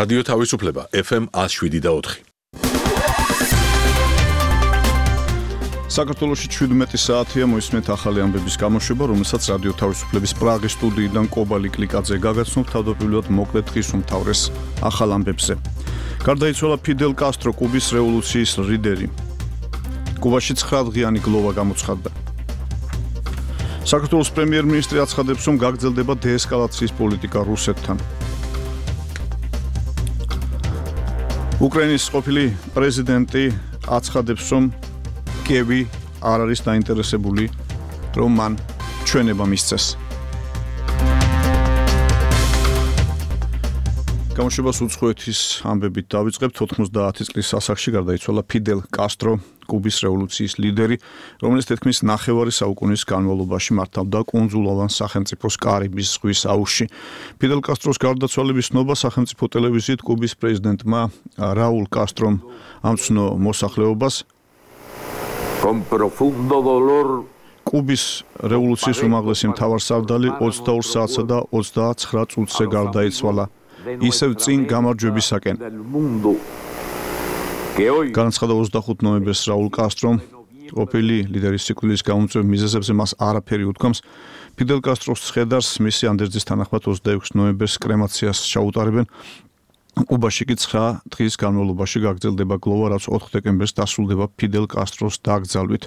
რადიო თავისუფლება FM 107.4. საქართველოში 17 საათია მოისმენთ ახალი ამბების გამოშვება, რომელსაც რადიო თავისუფლების პრაღის სტუდიიდან კობა ლიკლიკაძე გაგაცნობ თავდაპირველად მოკლედ დღის უმთავრეს ახალ ამბებზე. გარდაიცვალა ფიდელ კასტრო, კუბის რევოლუციის ლიდერი. კუბაში 9 დღიანი გლოვა გამოცხადდა. საქართველოს პრემიერ-მინისტრი აცხადებს, რომ გაგრძელდება დეესკალაციის პოლიტიკა რუსეთთან. უკრაინის ყოფილი პრეზიდენტი აცხადებს, რომ კიევი არ არის დაინტერესებული, რომ მან ჩვენება მისცეს. გამოშვებას უცხოეთის ამბებით დავიწყებთ. 90 წლის ასაკში გარდაიცვალა ფიდელ კასტრო, კუბის რევოლუციის ლიდერი, რომელიც თითქმის ნახევარი საუკუნის განმავლობაში მართავდა კუნძულოვან სახელმწიფოს კარიბის ზღვის აუზში. ფიდელ კასტროს გარდაცვალების ნობა სახელმწიფო ტელევიზიით კუბის პრეზიდენტმა რაულ კასტრომ ამცნო მოსახლეობას კუბის რევოლუციის უმაღლესი მთავარსარდალი 22 საათსა და 29 წუთზე გარდაიცვალა, ისევ წინ გამარჯვებისაკენ. განაცხადა 25 ნოემბერს რაულ კასტრომ, ყოფილი ლიდერის სიკვდილის გამომწვევ მიზეზებზე მას არაფერი უთქვამს. ფიდელ კასტროს ცხედარს მისი ანდერძის თანახმად 26 ნოემბერს კრემაციას ჩაუტარებენ. კუბაში კი 9 დღის განმავლობაში გაგრძელდება გლოვა, რაც 4 დეკემბერს დასრულდება ფიდელ კასტროს დაკრძალვით.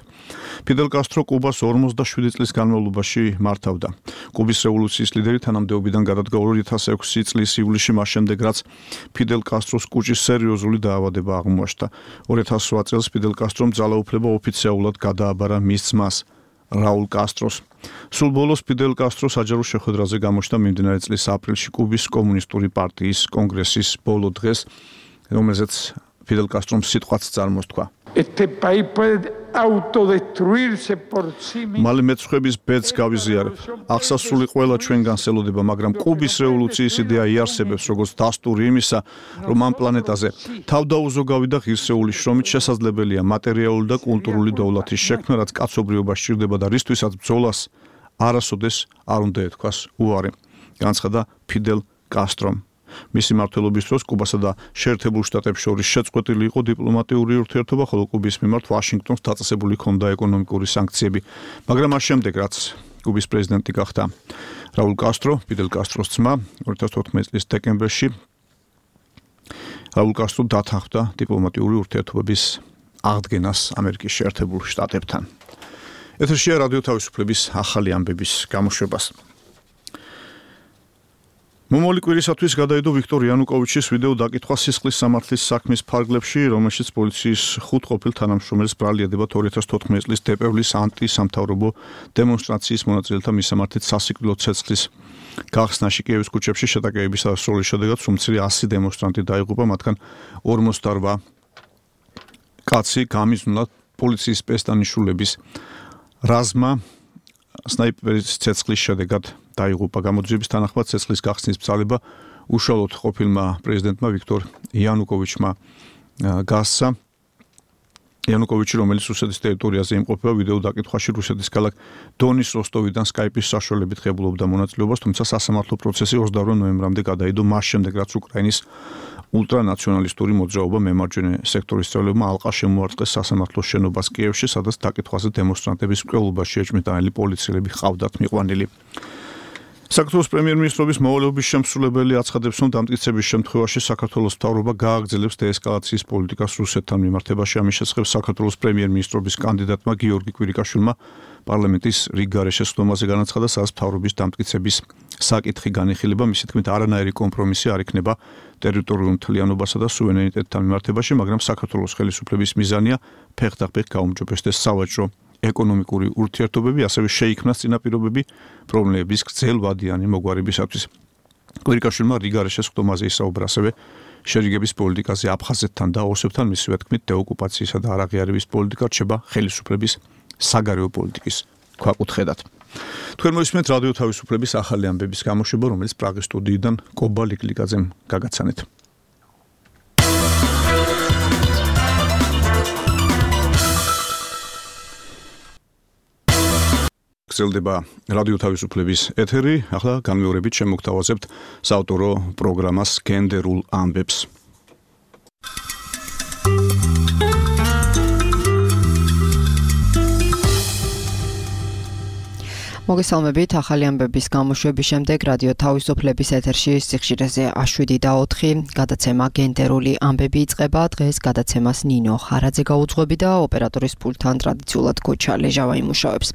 ფიდელ კასტრო კუბას 47 წლის განმავლობაში მართავდა. კუბის რევოლუციის ლიდერი თანამდებობიდან გადადგა 2006 წლის ივლისში, მას შემდეგ რაც ფიდელ კასტროს კუჭის სერიოზული დაავადება აღმოაჩნდა. 2008 წელს ფიდელ კასტრომ ძალაუფლება ოფიციალურად გადააბარა მის ძმას რაულ კასტროს. სულ ბოლოს ფიდელ კასტრო საჯარო შეხვედრაზე გამოჩნდა მიმდინარე წლის აპრილში კუბის კომუნისტური პარტიის კონგრესის ბოლო დღეს, რომელზეც ფიდელ კასტრომ სიტყვაც წარმოსთქვა. მალე მეცხვების ბედს გავიზიარებ. აღსასრული ყველა ჩვენგანს ელოდება, მაგრამ კუბის რევოლუციის იდეა იარსებებს, როგორც დასტური იმისა, რომ ამ პლანეტაზე თავდაუზოგავი და ღირსეული შრომით შესაძლებელია მატერიალური და კულტურული დოვლათის შექმნა, რაც კაცობრიობა სჭირდება და რისთვისაც ბრძოლას არასოდეს არ უნდა ეთქვას უარი, განცხადა ფიდელ კასტრომ. მისი მმართველობის დროს კუბასა და შეერთებულ შტატებს შორის შეწყვეტილი იყო დიპლომატიური ურთიერთობა, ხოლო კუბის მიმართ ვაშინგტონს დაწესებული ჰქონდა ეკონომიკური სანქციები. მაგრამ მას შემდეგ, რაც კუბის პრეზიდენტი გახდა რაულ კასტრო, ფიდელ კასტროს ძმა, 2014 წლის დეკემბერში რაულ კასტრო დათანხმდა დიპლომატიური ურთიერთობების აღდგენას ამერიკის შეერთებულ შტატებთან. ეთერშია რადიო თავისუფლების ახალი ამბების გამოშვებას. მომავალი კვირისათვის გადაიდო ვიქტორ იანუკოვიჩის ვიდეო დაკითხვა სისხლის სამართლის საქმის ფარგლებში, რომელშიც პოლიციის 5 ყოფილ თანამშრომელს ბრალი ედებათ 2014 წლის დეპევლის ანტისამთავრობო დემონსტრაციის მონაწილეთა მისამართით სასიკვდილო ცეცხლის გახსნაში კიევის ქუჩებში შეტაკებების დასრულების შედეგად სუმცირე 100 დემონსტრანტი დაიღუპა, მათგან 48 კაცი გამიზნულა პოლიციის სპეცდანიშნულების რაზმა სნაიპერის ცეცხლის შედეგად დაიღუპა. გამოძიების თანახმად ცეცხლის გახსნის ბრძანება უშუალოდ ყოფილმა პრეზიდენტმა ვიქტორ იანუკოვიჩმა გასცა. იანუკოვიჩი, რომელიც რუსეთის ტერიტორიაზე იმყოფება, ვიდეო დაკითხვაში რუსეთის ქალაქ დონის როსტოვიდან სკაიპის საშუალებით ღებულობდა მონაწილეობას, თუმცა სასამართლო პროცესი 28 ნოემბრამდე გადაიდო, მას შემდეგ რაც უკრაინის ულტრანაციონალისტური მოძრაობა მემარჯვენე სექტორის წევრებმა ალყა შემოარტყეს სასამართლოს შენობას კიევში, სადაც დაკითხვაზე დემონსტრანტების მკვლელობაში ეჭვმიტანილი პოლიციელები ჰყავდათ მიყვანილი. საქართველოს პრემიერ-მინისტრობის მოვალეობის შემსრულებელი აცხადებს, რომ დამტკიცების შემთხვევაში საქართველოს მთავრობა გააგრძელებს დეესკალაციის პოლიტიკას რუსეთთან მიმართებაში. ამის შესახებ საქართველოს პრემიერ-მინისტრობის კანდიდატმა გიორგი კვირიკაშვილმა პარლამენტის რიგ გარეშე სხდომაზე განაცხადა, სადაც მთავრობის დამტკიცების საკითხი განიხილება, მისი თქმით არანაირი კომპრომისი არ იქნება ტერიტორიულ მთლიანობასა და სუვერენიტეტთან მიმართებაში, მაგრამ საქართველოს ხელისუფლების მიზანია ფეხდახფეხ გაუმჯობესდეს სავაჭრო ეკონომიკური ურთიერთობები, ასევე შეიქმნას წინაპირობები პრობლემების გრძელვადიანი მოგვარებისათვის. კვირიკაშვილმა რიგ გარეშე სხდომაზე ისაუბრა ასევე შერიგების პოლიტიკაზე აფხაზეთთან და ოსებთან, მისივე თქმით დეოკუპაციისა და არაღიარების პოლიტიკა რჩება ხელისუფლების საგარეო პოლიტიკის ქვაკუთხედად. თქვენ მოისმენთ რადიო თავისუფლების ახალი ამბების გამოშვება, რომელიც პრაღის სტუდიიდან კობა ლიკლიკაძემ გაგაცანეთ. გრძელდება რადიო თავისუფლების ეთერი. ახლა განმეორებით შემოგთავაზებთ საავტორო პროგრამას გენდერულ ამბებს. მოგესალმებით, ახალი ამბების გამოშვების შემდეგ რადიო თავისუფლების ეთერში სიხშირეზე A7 და 4 გადაცემა გენდერული ამბები იწყება. დღეს გადაცემას ნინო ხარაძე გაუძღვები და ოპერატორის პულტთან ტრადიციულად კოჩა ლეჟავა იმუშავებს.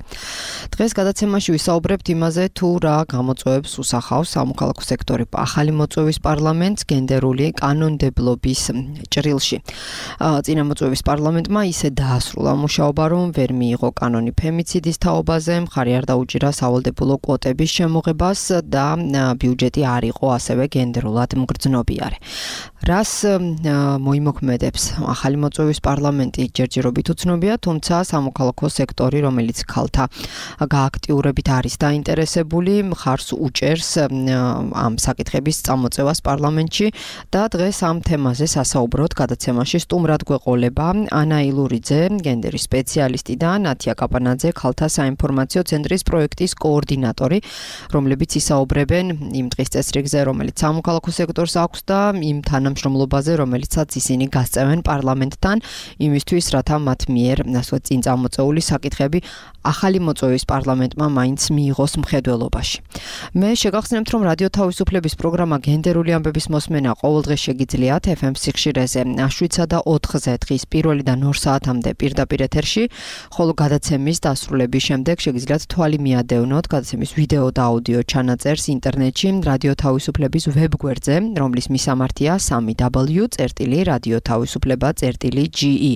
დღეს გადაცემაში ვისაუბრებთ იმაზე, თუ რა გამოწვევებს უსახავს სამოქალაქო სექტორი ახალი მოწვევის პარლამენტს გენდერული კანონმდებლობის ჭრილში. წინა მოწვევის პარლამენტმა ისე დაასრულა მუშაობა, რომ ვერ მიიღო კანონი ფემიციდის თაობაზე, მხარი არ დაუჭირა სავალდებულო კვოტების შემოღებას და ბიუჯეტი არ იყო ასევე გენდერულად მგრძნობიარე. რას მოიმოქმედებს ახალი მოწვევის პარლამენტი ჯერჯერობით უცნობია, თუმცა სამოქალაქო სექტორი, რომელიც ქალთა გააქტიურებით არის დაინტერესებული, მხარს უჭერს ამ საკითხების წამოწევას პარლამენტში და დღეს ამ თემაზე სასაუბროდ გადაცემაში სტუმრად გვეყოლება ანა ილურიძე, გენდერის სპეციალისტი და ნათია კაპანაძე, ქალთა საინფორმაციო ცენტრის პროექტის კოორდინატორი, რომლებიც ისაუბრებენ იმ დღის წესრიგზე, რომელიც სამოქალაქო სექტორს აქვს და იმ თანამშრომლობაზე, რომელიცაც ისინი გასწევენ პარლამენტთან, იმისთვის, რათა მათ მიერ წინ წამოწეული საკითხები ახალი მოწვევის პარლამენტმა მაინც მიიღოს მხედველობაში. მე შეგახსენებთ, რომ რადიო თავისუფლების პროგრამა გენდერული ამბების მოსმენა ყოველდღე შეგიძლიათ FM სიხშირეზე A7-სა და 4-ზე დღის 1-დან 2 საათამდე პირდაპირ ეთერში, ხოლო გადაცემის დასრულების შემდეგ შეგიძლიათ თვალი მიადევნოთ გადაცემის ვიდეო და აუდიო ჩანაწერს ინტერნეტში რადიო თავისუფლების ვებგვერდზე, რომლის მისამართია www.radiotavisufleba.ge.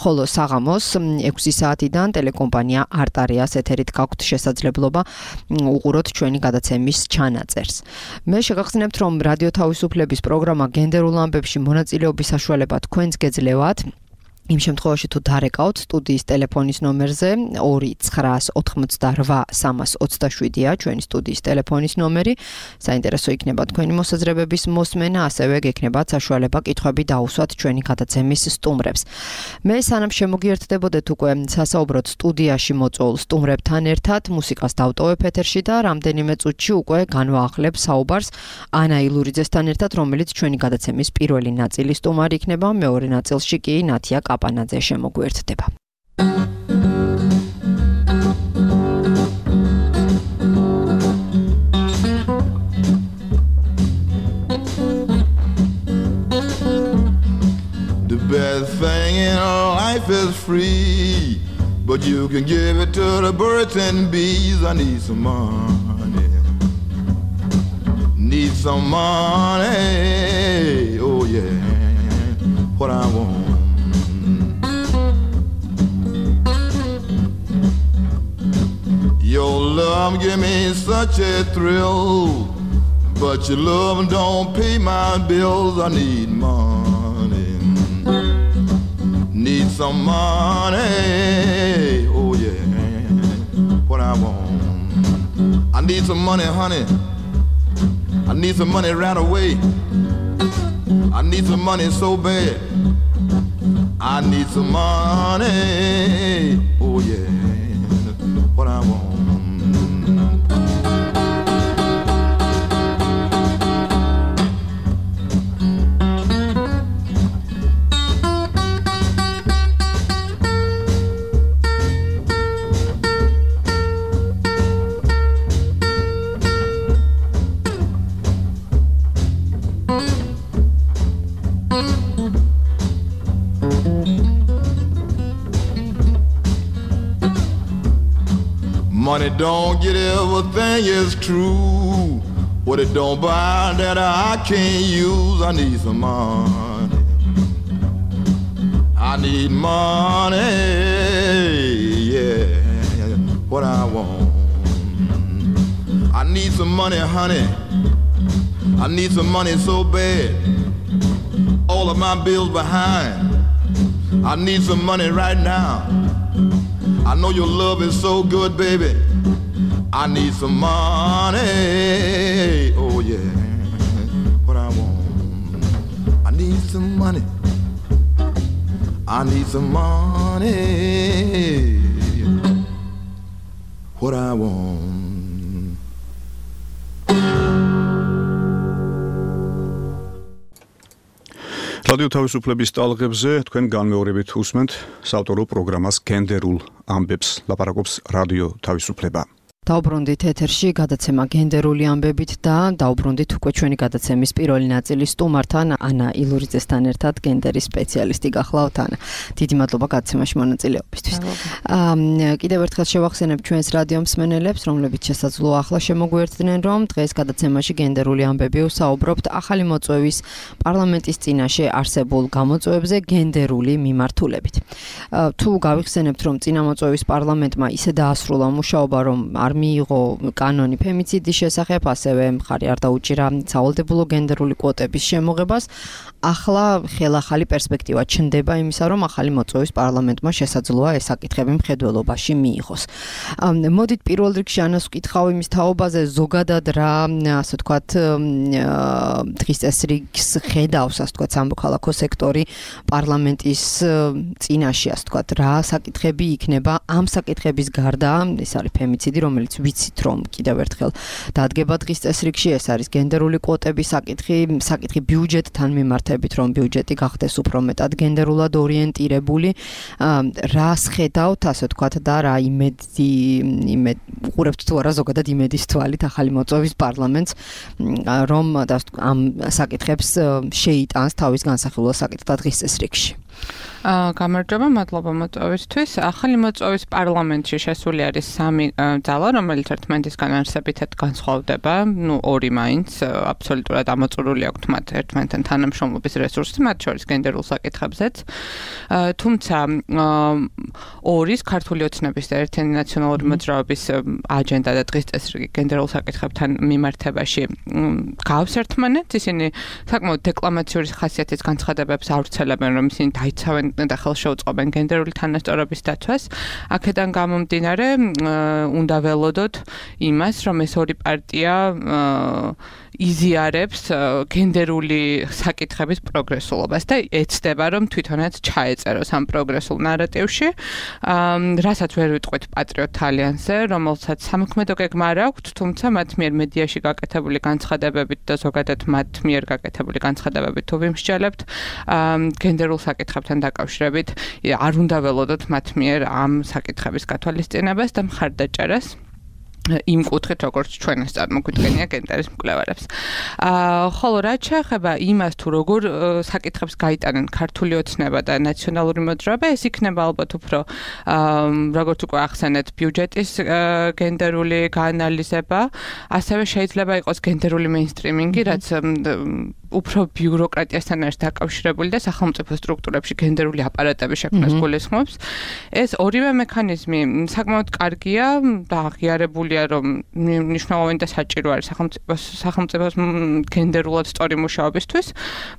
ხოლო საღამოს 6 საათიდან ტელეკომპანია არტარიას ეთერით გაქვთ შესაძლებლობა უყუროთ ჩვენი გადაცემის ჩანაწერს. მე შეგახსენებთ, რომ რადიო თავისუფლების პროგრამა გენდერულ ამბებში მონაწილეობის საშუალება თქვენს გეძლევათ. იმ შემთხვევაში თუ დარეკავთ სტუდიის ტელეფონის ნომერზე 2988327-ია ჩვენი სტუდიის ტელეფონის ნომერი. საინტერესო იქნება თქვენი მოსაზრებების მოსმენა, ასევე გექნებათ საშუალება კითხვები დაუსვათ ჩვენი გადაცემის სტუმრებს. მე სანამ შემოგიერთდებოდეთ უკვე სასაუბროდ სტუდიაში მოწვეულ სტუმრებთან ერთად, მუსიკას დავტოვებ ეთერში და რამდენიმე წუთში უკვე განვაახლებ საუბარს ანა ილურიძესთან ერთად, რომელიც ჩვენი გადაცემის პირველი ნაწილის სტუმარი იქნება, მეორე ნაწილში კი ნათია კაპანაძე შემოგვერთდება. The best thing in life is free, but you can give it to the birds and bees. I need some money. Need some money. Oh yeah. What I want. Your love give me such a thrill, but your love don't pay my bills. I need money, need some money. Oh yeah, what I want. I need some money, honey. I need some money right away. I need some money so bad. I need some money. Oh yeah, what I want. Money don't get everything is true. What it don't buy that I can't use. I need some money. I need money. Yeah, what I want. I need some money, honey. I need some money so bad. All of my bills behind. I need some money right now. I know your love is so good, baby. I need some money. Oh yeah, what I want. I need some money. I need some money. what I want. რადიო თავისუფლების ტალღებზე თქვენ განმეორებით უსმენთ საავტორო პროგრამას გენდერულ ამბებს, ლაპარაკობს რადიო თავისუფლება. დაუბრუნდით ეთერში გადაცემა გენდერული ამბებით და დაუბრუნდით უკვე ჩვენი გადაცემის პირველი ნაწილის სტუმართან ანა ილურიძესთან ერთად გენდერის სპეციალისტი გახლავთ ანა. დიდი მადლობა გადაცემაში მონაწილეობისთვის. კიდევ ერთხელ შევახსენებ ჩვენს რადიო მსმენელებს, რომლებიც შესაძლოა ახლა შემოგვიერთდნენ, რომ დღეს გადაცემაში გენდერული ამბები ვსაუბრობთ ახალი მოწვევის პარლამენტის წინაშე არსებულ გამოწვევებზე გენდერული მიმართულებით. თუ გავიხსენებთ, რომ წინა მოწვევის პარლამენტმა ისე დაასრულა მუშაობა, რომ მიიღო კანონი ფემიციდის შესახებ, ასევე მხარი არ დაუჭირა სავალდებულო გენდერული კვოტების შემოღებას. ახლა ხელახალი პერსპექტივა ჩნდება იმისა, რომ ახალი მოწვევის პარლამენტმა შესაძლოა ეს საკითხები მხედველობაში მიიღოს. მოდით პირველ რიგში ანას ვკითხავ იმის თაობაზე, ზოგადად რა, ასე ვთქვათ, დღის წესრიგს ხედავს, ასე ვთქვათ, სამოქალაქო სექტორი პარლამენტის წინაშე, ასე ვთქვათ, რა საკითხები იქნება ამ საკითხების გარდა, ეს არის ფემიციდი, რომელიც ვიცით, რომ კიდევ ერთხელ დადგება დღის წესრიგში, ეს არის გენდერული კვოტების საკითხი ბიუჯეტთან მიმართებით, რომ ბიუჯეტი გახდეს უფრო მეტად გენდერულად ორიენტირებული. რას ხედავთ, ასე ვთქვათ, და რა უყურებთ თუ არა ზოგადად იმედის თვალით ახალი მოწვევის პარლამენტს, რომ ამ საკითხებს შეიტანს თავის განსახილულ საკითხად დღის წესრიგში. გამარჯობა, მადლობა მოწვევისთვის. ახალი მოწვევის პარლამენტში შესული არის 3 ძალა, რომელიც ერთმანეთისგან არსებითად განსხვავდება. ორი მაინც აბსოლუტურად ამოწურული აქვთ მათ ერთმანეთთან თანამშრომლობის რესურსი, მათ შორის გენდერულ საკითხებზეც. თუმცა ორის ქართული ოცნების და ერთიანი ნაციონალური მოძრაობის აჯენდა და დღის წესრიგი გენდერულ საკითხებთან მიმართებაში გავს ერთმანეთს. ისინი საკმაოდ დეკლამაციური ხასიათის განცხადებებს ავრცელებენ, რომ ისინი დაიცავენ და ხელშეუწყობენ გენდერული თანასწორობის დაცვას. აქედან გამომდინარე, უნდა ველოდოთ იმას, რომ ეს ორი პარტია იზიარებს გენდერული საკითხების პროგრესულობას და ეცდება, რომ თვითონაც ჩაეწეროს ამ პროგრესულ ნარატივში, რასაც ვერ ვიტყვით პატრიოტ ალიანსზე, რომელსაც სამოქმედო გეგმა არ აქვთ, თუმცა მათ მიერ მედიაში გაკეთებული განცხადებებით და ზოგადად მათ მიერ გაკეთებული განცხადებებით თუ ვიმსჯელებთ, გენდერულ საკითხებთან დაკავშირებით არ უნდა ველოდოთ მათ მიერ ამ საკითხების გათვალისწინებას და მხარდაჭერას იმ კუთხით, როგორც ჩვენს წარმოგვიდგენია გენდერის მკვლევარებს. ხოლო რაც შეეხება იმას, თუ როგორ საკითხებს გაიტანენ ქართული ოცნება და ნაციონალური მოძრაობა, ეს იქნება ალბათ უფრო როგორც უკვე ახსენეთ, ბიუჯეტის გენდერული გაანალიზება, ასევე შეიძლება იყოს გენდერული მეინსტრიმინგი, რაც უფრო ბიუროკრატიასთან არის დაკავშირებული და სახელმწიფო სტრუქტურებში გენდერული აპარატების შექმნას გულისხმობს. ეს ორივე მექანიზმი საკმაოდ კარგია და აღიარებულია, რომ მნიშვნელოვანი და საჭირო არის სახელმწიფოს გენდერულად სწორი მუშაობისთვის,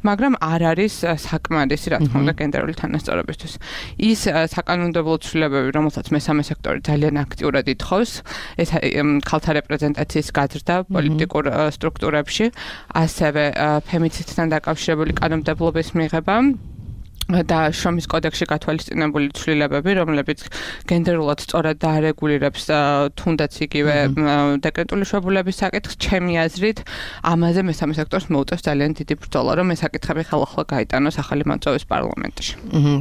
მაგრამ არ არის საკმარისი, რა თქმა უნდა, გენდერული თანასწორობისთვის. ის საკანონმდებლო ცვლილებები, რომელსაც მესამე სექტორი ძალიან აქტიურად ითხოვს, ეს ქალთა რეპრეზენტაციის გაზრდა პოლიტიკურ სტრუქტურებში, ასევე ფემიციდთან დაკავშირებული კანონმდებლობის მიღება და შრომის კოდექსში გათვალისწინებული ცვლილებები, რომლებიც გენდერულად სწორად დაარეგულირებს თუნდაც იგივე დეკრეტული შვებულების საკითხს, ჩემი აზრით, ამაზე მესამე სექტორს მოუწევს ძალიან დიდი ბრძოლა, რომ ეს საკითხები ხელახლა გაიტანოს ახალი მოწვევის პარლამენტში.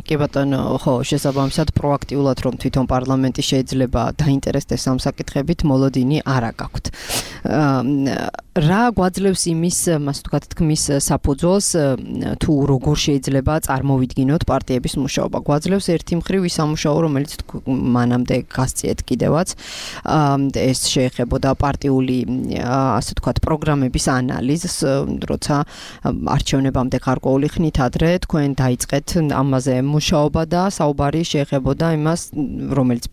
კი ბატონო, ხო, შესაბამისად პროაქტიულად რომ თვითონ პარლამენტი შეიძლება დაინტერესდეს ამ საკითხებით, მოლოდინი არ აქვს. რა გვაძლევს იმის, ასე ვთქვათ, თქმის საფუძველს, თუ როგორ შეიძლება წარმოვიდგინოთ პარტიების მუშაობა. გვაძლევს ერთი მხრივ ის სამუშაო, რომელიც მანამდე გასწიეთ კიდევაც, ეს შეეხებოდა პარტიული, ასე ვთქვათ, პროგრამების ანალიზს, როცა არჩევნებამდე გარკვეული ხნით ადრე თქვენ დაიწყეთ ამაზე მუშაობა და საუბარი შეეხებოდა იმას, რომელიც,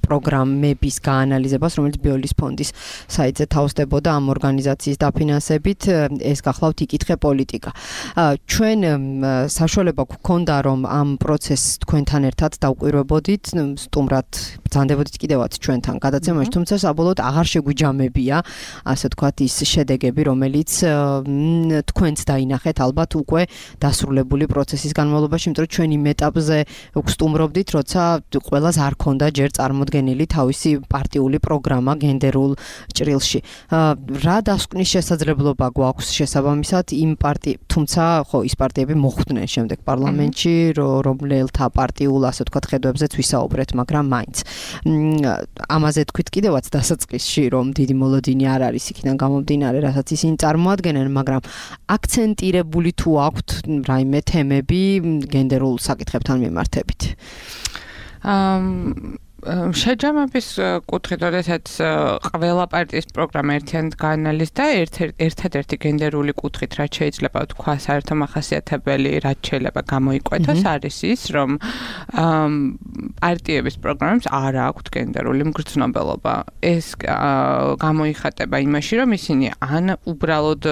პროგრამების გაანალიზებას, რომელიც ბიოლის ფონდის საიტზე ასე თავსდებოდა ამ ორგანიზაციის დაფინანსებით, ეს გახლავთ იკითხე პოლიტიკა. ჩვენ საშუალება გვქონდა რომ ამ პროცესს თქვენთან ერთად დავკვირვებოდით, სტუმრად ბრძანდებოდით კიდევაც ჩვენთან გადაცემაში, თუმცა საბოლოოდ აღარ შეგვიჯამებია, ასე ვთქვათ, ის შედეგები, რომელიც თქვენც დაინახეთ ალბათ უკვე დასრულებული პროცესის განმავლობაში, იმიტომ რომ ჩვენ იმ ეტაპზე ვსტუმრობდით, როცა ყველას არ ქონდა ჯერ წარმოდგენილი თავისი პარტიული პროგრამა გენდერულ ჭრილში. რა დასკვნის შესაძლებლობა გვაქვს შესაბამისად იმ თუმცა ხო ის პარტიები მოხვდნენ შემდეგ პარლამენტში, რომელთა პარტიულ ასე ვთქვათ ხედვებზეც ვისაუბრეთ, მაგრამ მაინც ამაზე თქვით კიდევაც დასაწყისში, რომ დიდი მოლოდინი არ არის იქიდან გამომდინარე, რასაც ისინი წარმოადგენენ, მაგრამ აქცენტირებული თუ აქვთ რაიმე თემები გენდერულ საკითხებთან მიმართებით. შეჯამების კუთხით, როდესაც ყველა პარტიის პროგრამა ერთიანად გაანალიზდა, ერთადერთი გენდერული კუთხით, რაც შეიძლება თქვა საერთო მახასიათებელი, რაც შეიძლება გამოიკვეთოს, არის ის, რომ პარტიების პროგრამებს არ აქვთ გენდერული მგრძნობელობა. ეს გამოიხატება იმაში, რომ ისინი ან უბრალოდ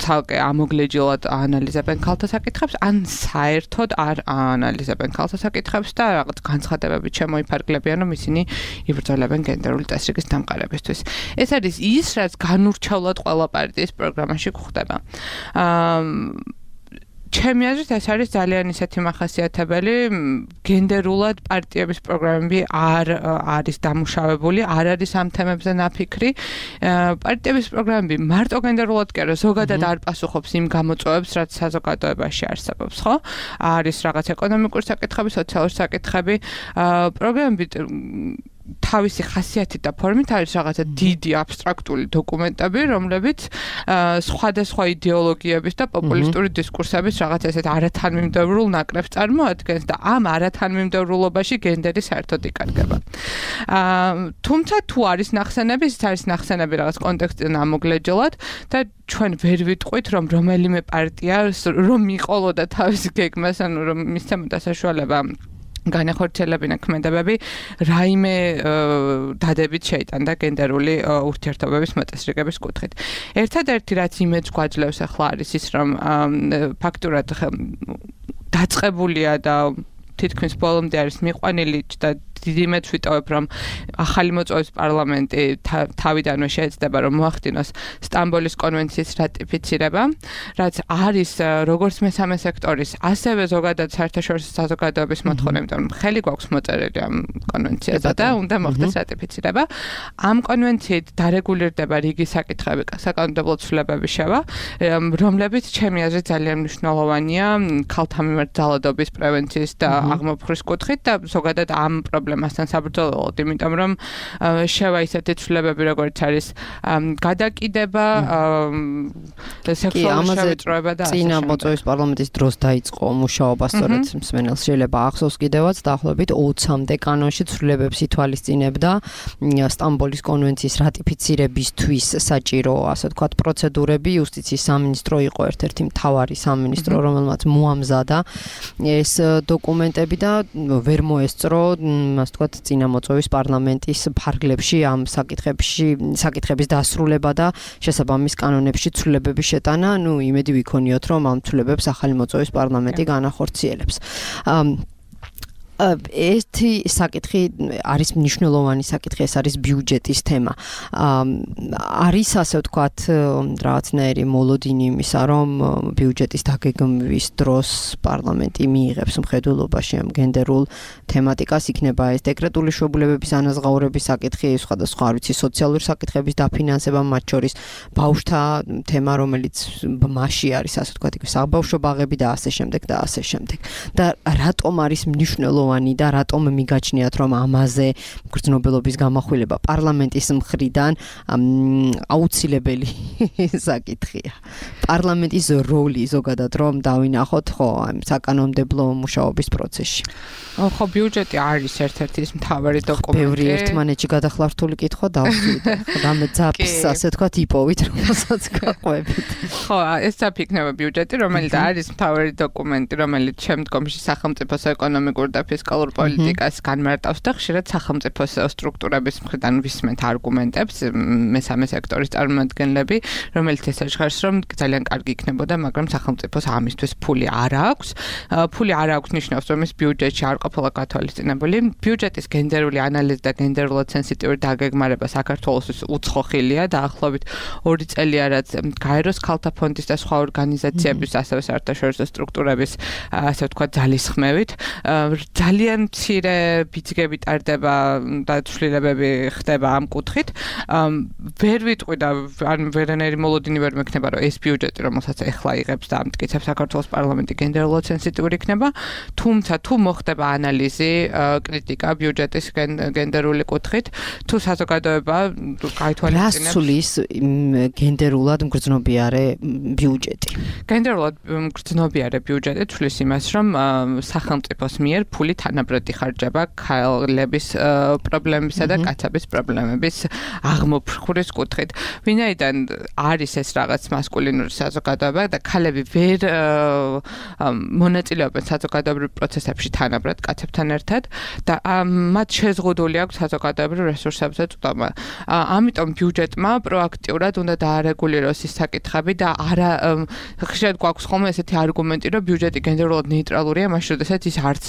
ცალკე ამოგლეჯილად აანალიზებენ ქალთა საკითხებს, ან საერთოდ არ აანალიზებენ ქალთა საკითხებს და რაღაც განცხადებები მოიფარგლებიან, რომ ისინი იბრძოლებენ გენდერული წესრიგის დამყარებისთვის. ეს არის ის, რაც განურჩევლად ყველა პარტიის პროგრამაში გვხვდება. ჩემი აზრით ეს არის ძალიან ისეთი მახასიათებელი, გენდერულად პარტიების პროგრამები არ არის დამუშავებული, არ არის ამ თემებზე ნაფიქრი. პარტიების პროგრამები მარტო გენდერულად კი არა, ზოგადად არ პასუხობს იმ გამოწვევებს, რაც საზოგადოებაში არსებობს, ხო? არის რაღაც ეკონომიკური საკითხები, სოციალური საკითხები, პროგრამები თავისი ხასიათით და ფორმით არის რაღაცა დიდი აბსტრაქტული დოკუმენტები, რომლებიც სხვადასხვა იდეოლოგიების და პოპულისტური დისკურსების რაღაც ესეთ არათანმიმდევრულ ნაკრებს წარმოადგენს და ამ არათანმიმდევრულობაში გენდერი საერთოდ იკარგება. თუმცა თუ არის ნახსენები, ის არის ნახსენები რაღაც კონტექსტიდან ამოგლეჯილად და ჩვენ ვერ ვიტყვით, რომ რომელიმე პარტია რომ მიყოლოდა თავის გეგმას, ანუ რომ მისცემოდა საშუალება განახორციელებინა ქმედებები რაიმე დადებით შეიტანდა გენდერული ურთიერთობების მოწესრიგების კუთხით. ერთადერთი რაც იმედს გვაძლევს ახლა არის ის, რომ ფაქტურად დაწყებულია და თითქმის ბოლომდე არის მიყვანილი და დიდი იმედს ვიტოვებ, რომ ახალი მოწვევის პარლამენტი თავიდანვე შეეცდება, რომ მოახდინოს სტამბოლის კონვენციის რატიფიცირება, რაც არის როგორც მესამე სექტორის, ასევე ზოგადად საერთაშორისო საზოგადოების მოთხოვნა, იმიტომ რომ ხელი გვაქვს მოწერილი ამ კონვენციაზე და უნდა მოხდეს რატიფიცირება. ამ კონვენციით დარეგულირდება რიგი საკითხები, საკანონმდებლო ცვლილებების შევა, რომლებიც ჩემი აზრით ძალიან მნიშვნელოვანია ქალთა მიმართ ძალადობის პრევენციის და აღმოფხრის კუთხით და ზოგადად ამ პრობლემასთან საბრძოლველად, იმიტომ რომ შევა ისეთი ცვლილებები, როგორც არის გადაკიდება, სექსუალური შევიწროება და ასე წინა მოწვევის პარლამენტის დროს დაიწყო მუშაობა, სწორედ მსმენელს შეიძლება ახსოვს კიდევაც დაახლოებით 20-მდე კანონში ცვლილებებს ითვალისწინებდა სტამბოლის კონვენციის რატიფიცირებისთვის საჭირო, ასე ვთქვათ, პროცედურები. იუსტიციის სამინისტრო იყო ერთ-ერთი მთავარი სამინისტრო, რომელმაც მოამზადა ეს დოკუმენტები და ვერ მოესწრო, ასე ვთქვათ, წინა მოწვევის პარლამენტის ფარგლებში ამ საკითხების დასრულება და შესაბამის კანონებში ცვლილებების შეტანა. იმედი ვიქონიოთ, რომ ამ ცვლილებებს ახალი მოწვევის პარლამენტი განახორციელებს. ერთი საკითხი არის მნიშვნელოვანი საკითხი, ეს არის ბიუჯეტის თემა. არის ასე ვთქვათ რაღაცნაირი მოლოდინი იმისა, რომ ბიუჯეტის დაგეგმვის დროს პარლამენტი მიიღებს მხედველობაში ამ გენდერულ თემატიკას, იქნება ეს დეკრეტული შვებულებების ანაზღაურების საკითხი, სხვადასხვა არ ვიცი სოციალური საკითხების დაფინანსება, მათ შორის ბავშვთა თემა, რომელიც მასში არის, ასე ვთქვათ, საბავშვო ბაღები და ასე შემდეგ და ასე შემდეგ. და რატომ არის მნიშვნელოვანი და რატომ მიგაჩნიათ, რომ ამაზე მგრძნობელობის გამახვილება პარლამენტის მხრიდან აუცილებელი საკითხია. პარლამენტის როლი ზოგადად რომ დავინახოთ, ხო, საკანონმდებლო მუშაობის პროცესში. ხო, ბიუჯეტი არის ერთ-ერთი ის მთავარი დოკუმენტი. ბევრი ერთმანეთში გადახლართული კითხვა დავსვით. რამე ძაფს, ასე ვთქვათ, იპოვით, რომელსაც გაყვებით. ხო, ეს იქნება ბიუჯეტი, რომელიც არის მთავარი დოკუმენტი, რომელიც შემდგომში სახელმწიფოს ეკონომიკურ და ფისკალურ პოლიტიკას განმარტავს და ხშირად სახელმწიფოს სტრუქტურების მხრიდან ვისმენთ არგუმენტებს მესამე სექტორის წარმომადგენლები, რომელიც ესე ჟღერს, რომ ძალიან კარგი იქნებოდა, მაგრამ სახელმწიფოს ამისთვის ფული არ აქვს. ფული არ აქვს ნიშნავს, რომ ის ბიუჯეტში არ ყოფილა გათვალისწინებული. ბიუჯეტის გენდერული ანალიზი და გენდერულად სენსიტიური დაგეგმარება საქართველოსთვის უცხოხილია, დაახლოებით 2 წელია, რაც გაეროს ქალთა ფონდის და სხვა ორგანიზაციების, ასევე საერთაშორისო სტრუქტურების, ასე ვთქვათ, ძალისხმევით. ძალიან მცირე ბიძგები ტარდება და ცვლილებები ხდება ამ კუთხით. ვერ ვიტყვი და ან ვერანაირი მოლოდინი ვერ მექნება, რომ ეს ბიუჯეტი, რომელსაც ეხლა იღებს და ამტკიცებს საქართველოს პარლამენტი გენდერულად სენსიტიური იქნება, თუმცა თუ მოხდება ანალიზი, კრიტიკა ბიუჯეტის გენდერული კუთხით, თუ საზოგადოება გაითვალისწინებს რასulis გენდერულად მგრძნობიარე ბიუჯეტი. გენდერულად მგრძნობიარე ბიუჯეტი თulis იმას, რომ სახელმწიფოს მიერ ფული თანაბრად იხარჯება ქალების პრობლემებისა და კაცების პრობლემების აღმოფხურის კუთხით. ვინაიდან არის ეს რაღაც მასკულინური საზოგადოება და ქალები ვერ მონაწილეობენ საზოგადოებრივ პროცესებში თანაბრად კაცებთან ერთად და მათ შეზღუდული აქვს საზოგადოებრივ რესურსებზე წვდომა. ამიტომ ბიუჯეტმა პროაქტიურად უნდა დაარეგულიროს ის საკითხები და არა ხშირად გვაქვს ხოლმე ესეთი არგუმენტი, რომ ბიუჯეტი გენდერულად ნეიტრალურია, მაშინ როდესაც ის არც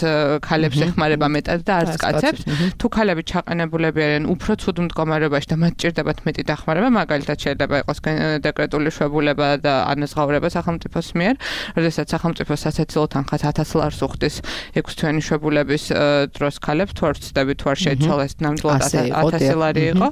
ქალებს ეხმარება მეტად და არც კაცებს. თუ ქალები ჩაყენებულები არიან უფრო ცუდ მდგომარეობაში და მათ ჭირდებათ მეტი დახმარება, მაგალითად შეიძლება იყოს დეკრეტული შვებულება და ანაზღაურება სახელმწიფოს მიერ, როდესაც სახელმწიფო სასაცილო თანხას 1000 ლარს უხდის 6 თვიანი შვებულების დროს ქალებს, თუ არ ვცდები, თუ არ შეიცვალა ეს ნამდვილად 1000 ლარი იყო,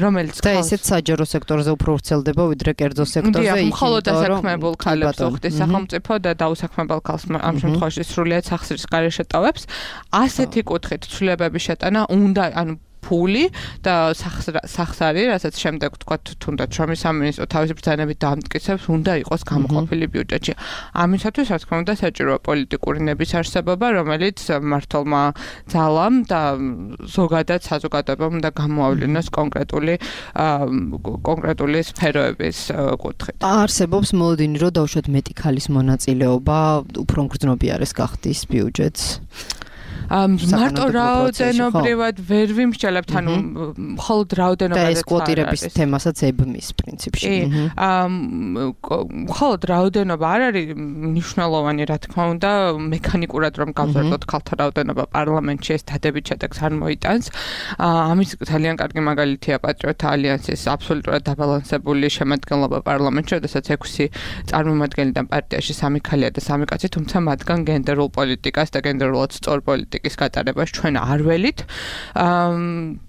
რომელიც და ესეც საჯარო სექტორზე უფრო ვრცელდება ვიდრე კერძო სექტორზე. მხოლოდ დასაქმებულ ქალებს უხდის სახელმწიფო და დაუსაქმებელ ქალს ამ შემთხვევაში სრულიად სახსრის გარეშე ტოვებს. ასეთი კუთხით ცვლილებების შეტანა უნდა, ანუ ფული და სახსარი, რასაც შემდეგ თქვა თუნდაც შრომის სამინისტრო თავისი ბრძანებით დაამტკიცებს, უნდა იყოს გამოყოფილი ბიუჯეტში. ამისათვის, რა თქმა უნდა, საჭიროა პოლიტიკური ნების არსებობა, რომელიც მმართველმა ძალამ და ზოგადად საზოგადოებამ უნდა გამოავლინოს კონკრეტული სფეროების კუთხით. არსებობს მოლოდინი, რომ დაუშვათ მეტი ქალის მონაწილეობა უფრო მგრძნობიარეს გახდის ბიუჯეტს. მარტო რაოდენობრივად ვერ ვიმსჯელებთ, ანუ მხოლოდ რაოდენობაზე და ეს კვოტირების თემასაც ებმის პრინციპში. მხოლოდ რაოდენობა არ არის მნიშვნელოვანი, რა თქმა უნდა, მექანიკურად რომ გავზარდოთ ქალთა რაოდენობა პარლამენტში, ეს დადებით შედეგს არ მოიტანს. ამის ძალიან კარგი მაგალითია პატრიოტთა ალიანსის აბსოლუტურად დაბალანსებული შემადგენლობა პარლამენტში, როდესაც 6 წარმომადგენლიდან პარტიაში 3 ქალია და 3 კაცი, თუმცა მათგან გენდერულ პოლიტიკას და გენდერულად სწორ პოლიტიკის გატარებას ჩვენ არ ველით.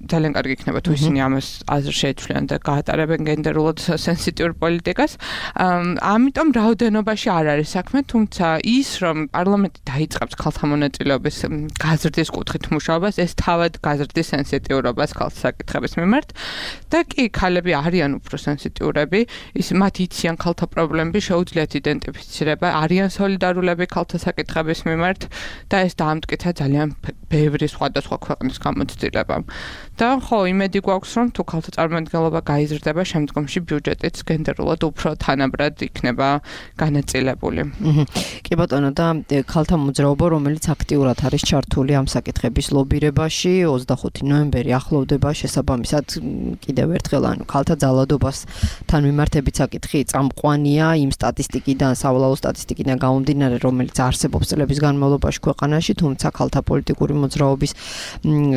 ძალიან კარგი იქნება თუ ისინი ამას აზრ შეეცვლიან და გაატარებენ გენდერულად სენსიტიურ პოლიტიკას. ამიტომ რაოდენობაში არ არის საქმე, თუმცა ის რომ პარლამენტი დაიწყებს ქალთა მონაწილეობის გაზრდის კუთხით მუშაობას, ეს თავად გაზრდის სენსიტიურობას ქალთა საკითხების მიმართ და კი ქალები არიან უფრო სენსიტიურები, მათ იციან ქალთა პრობლემები, შეუძლიათ იდენტიფიცირება, არიან სოლიდარულები ქალთა საკითხების მიმართ და ეს დაამტკიცა ძალიან ბევრი სხვადასხვა ქვეყნის გამოცდილებამ. და ხო, იმედი გვაქვს, რომ თუ ქალთა წარმომადგენლობა გაიზრდება, შემდგომში ბიუჯეტიც გენდერულად უფრო თანაბრად იქნება განაწილებული. კი ბატონო, და ქალთა მოძრაობა, რომელიც აქტიურად არის ჩართული ამ საკითხების ლობირებაში, 25 ნოემბერი ახლოვდება, შესაბამისად კიდევ ერთხელ, ანუ ქალთა ძალადობასთან მიმართებით საკითხი წამყვანია იმ სტატისტიკიდან, სავალალო სტატისტიკიდან გამომდინარე, რომელიც არსებობს წლების განმავლობაში ქვეყანაში, თუმცა ქალთა პოლიტიკური მოძრაობის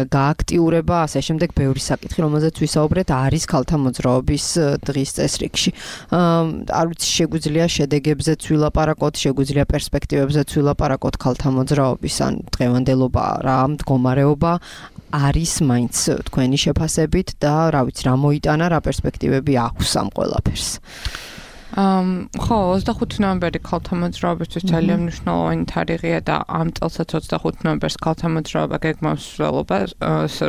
გააქტიურება, ასე შემდეგ ბევრი საკითხი, რომელზეც ვისაუბრეთ, არის ქალთა მოძრაობის დღის წესრიგში. არ ვიცი, შეგვიძლია შედეგებზეც ვილაპარაკოთ, შეგვიძლია პერსპექტივებზეც ვილაპარაკოთ ქალთა მოძრაობის, ან დღევანდელობა რა მდგომარეობა არის მაინც თქვენი შეფასებით და რა ვიცი, რა მოიტანა, რა პერსპექტივები აქვს ამ ყველაფერს. ხო, 25 ნოემბერი ქალთა მოძრაობისთვის ძალიან მნიშვნელოვანი თარიღია და ამ წელსაც 25 ნოემბერს ქალთა მოძრაობა გეგმავს მსვლელობას,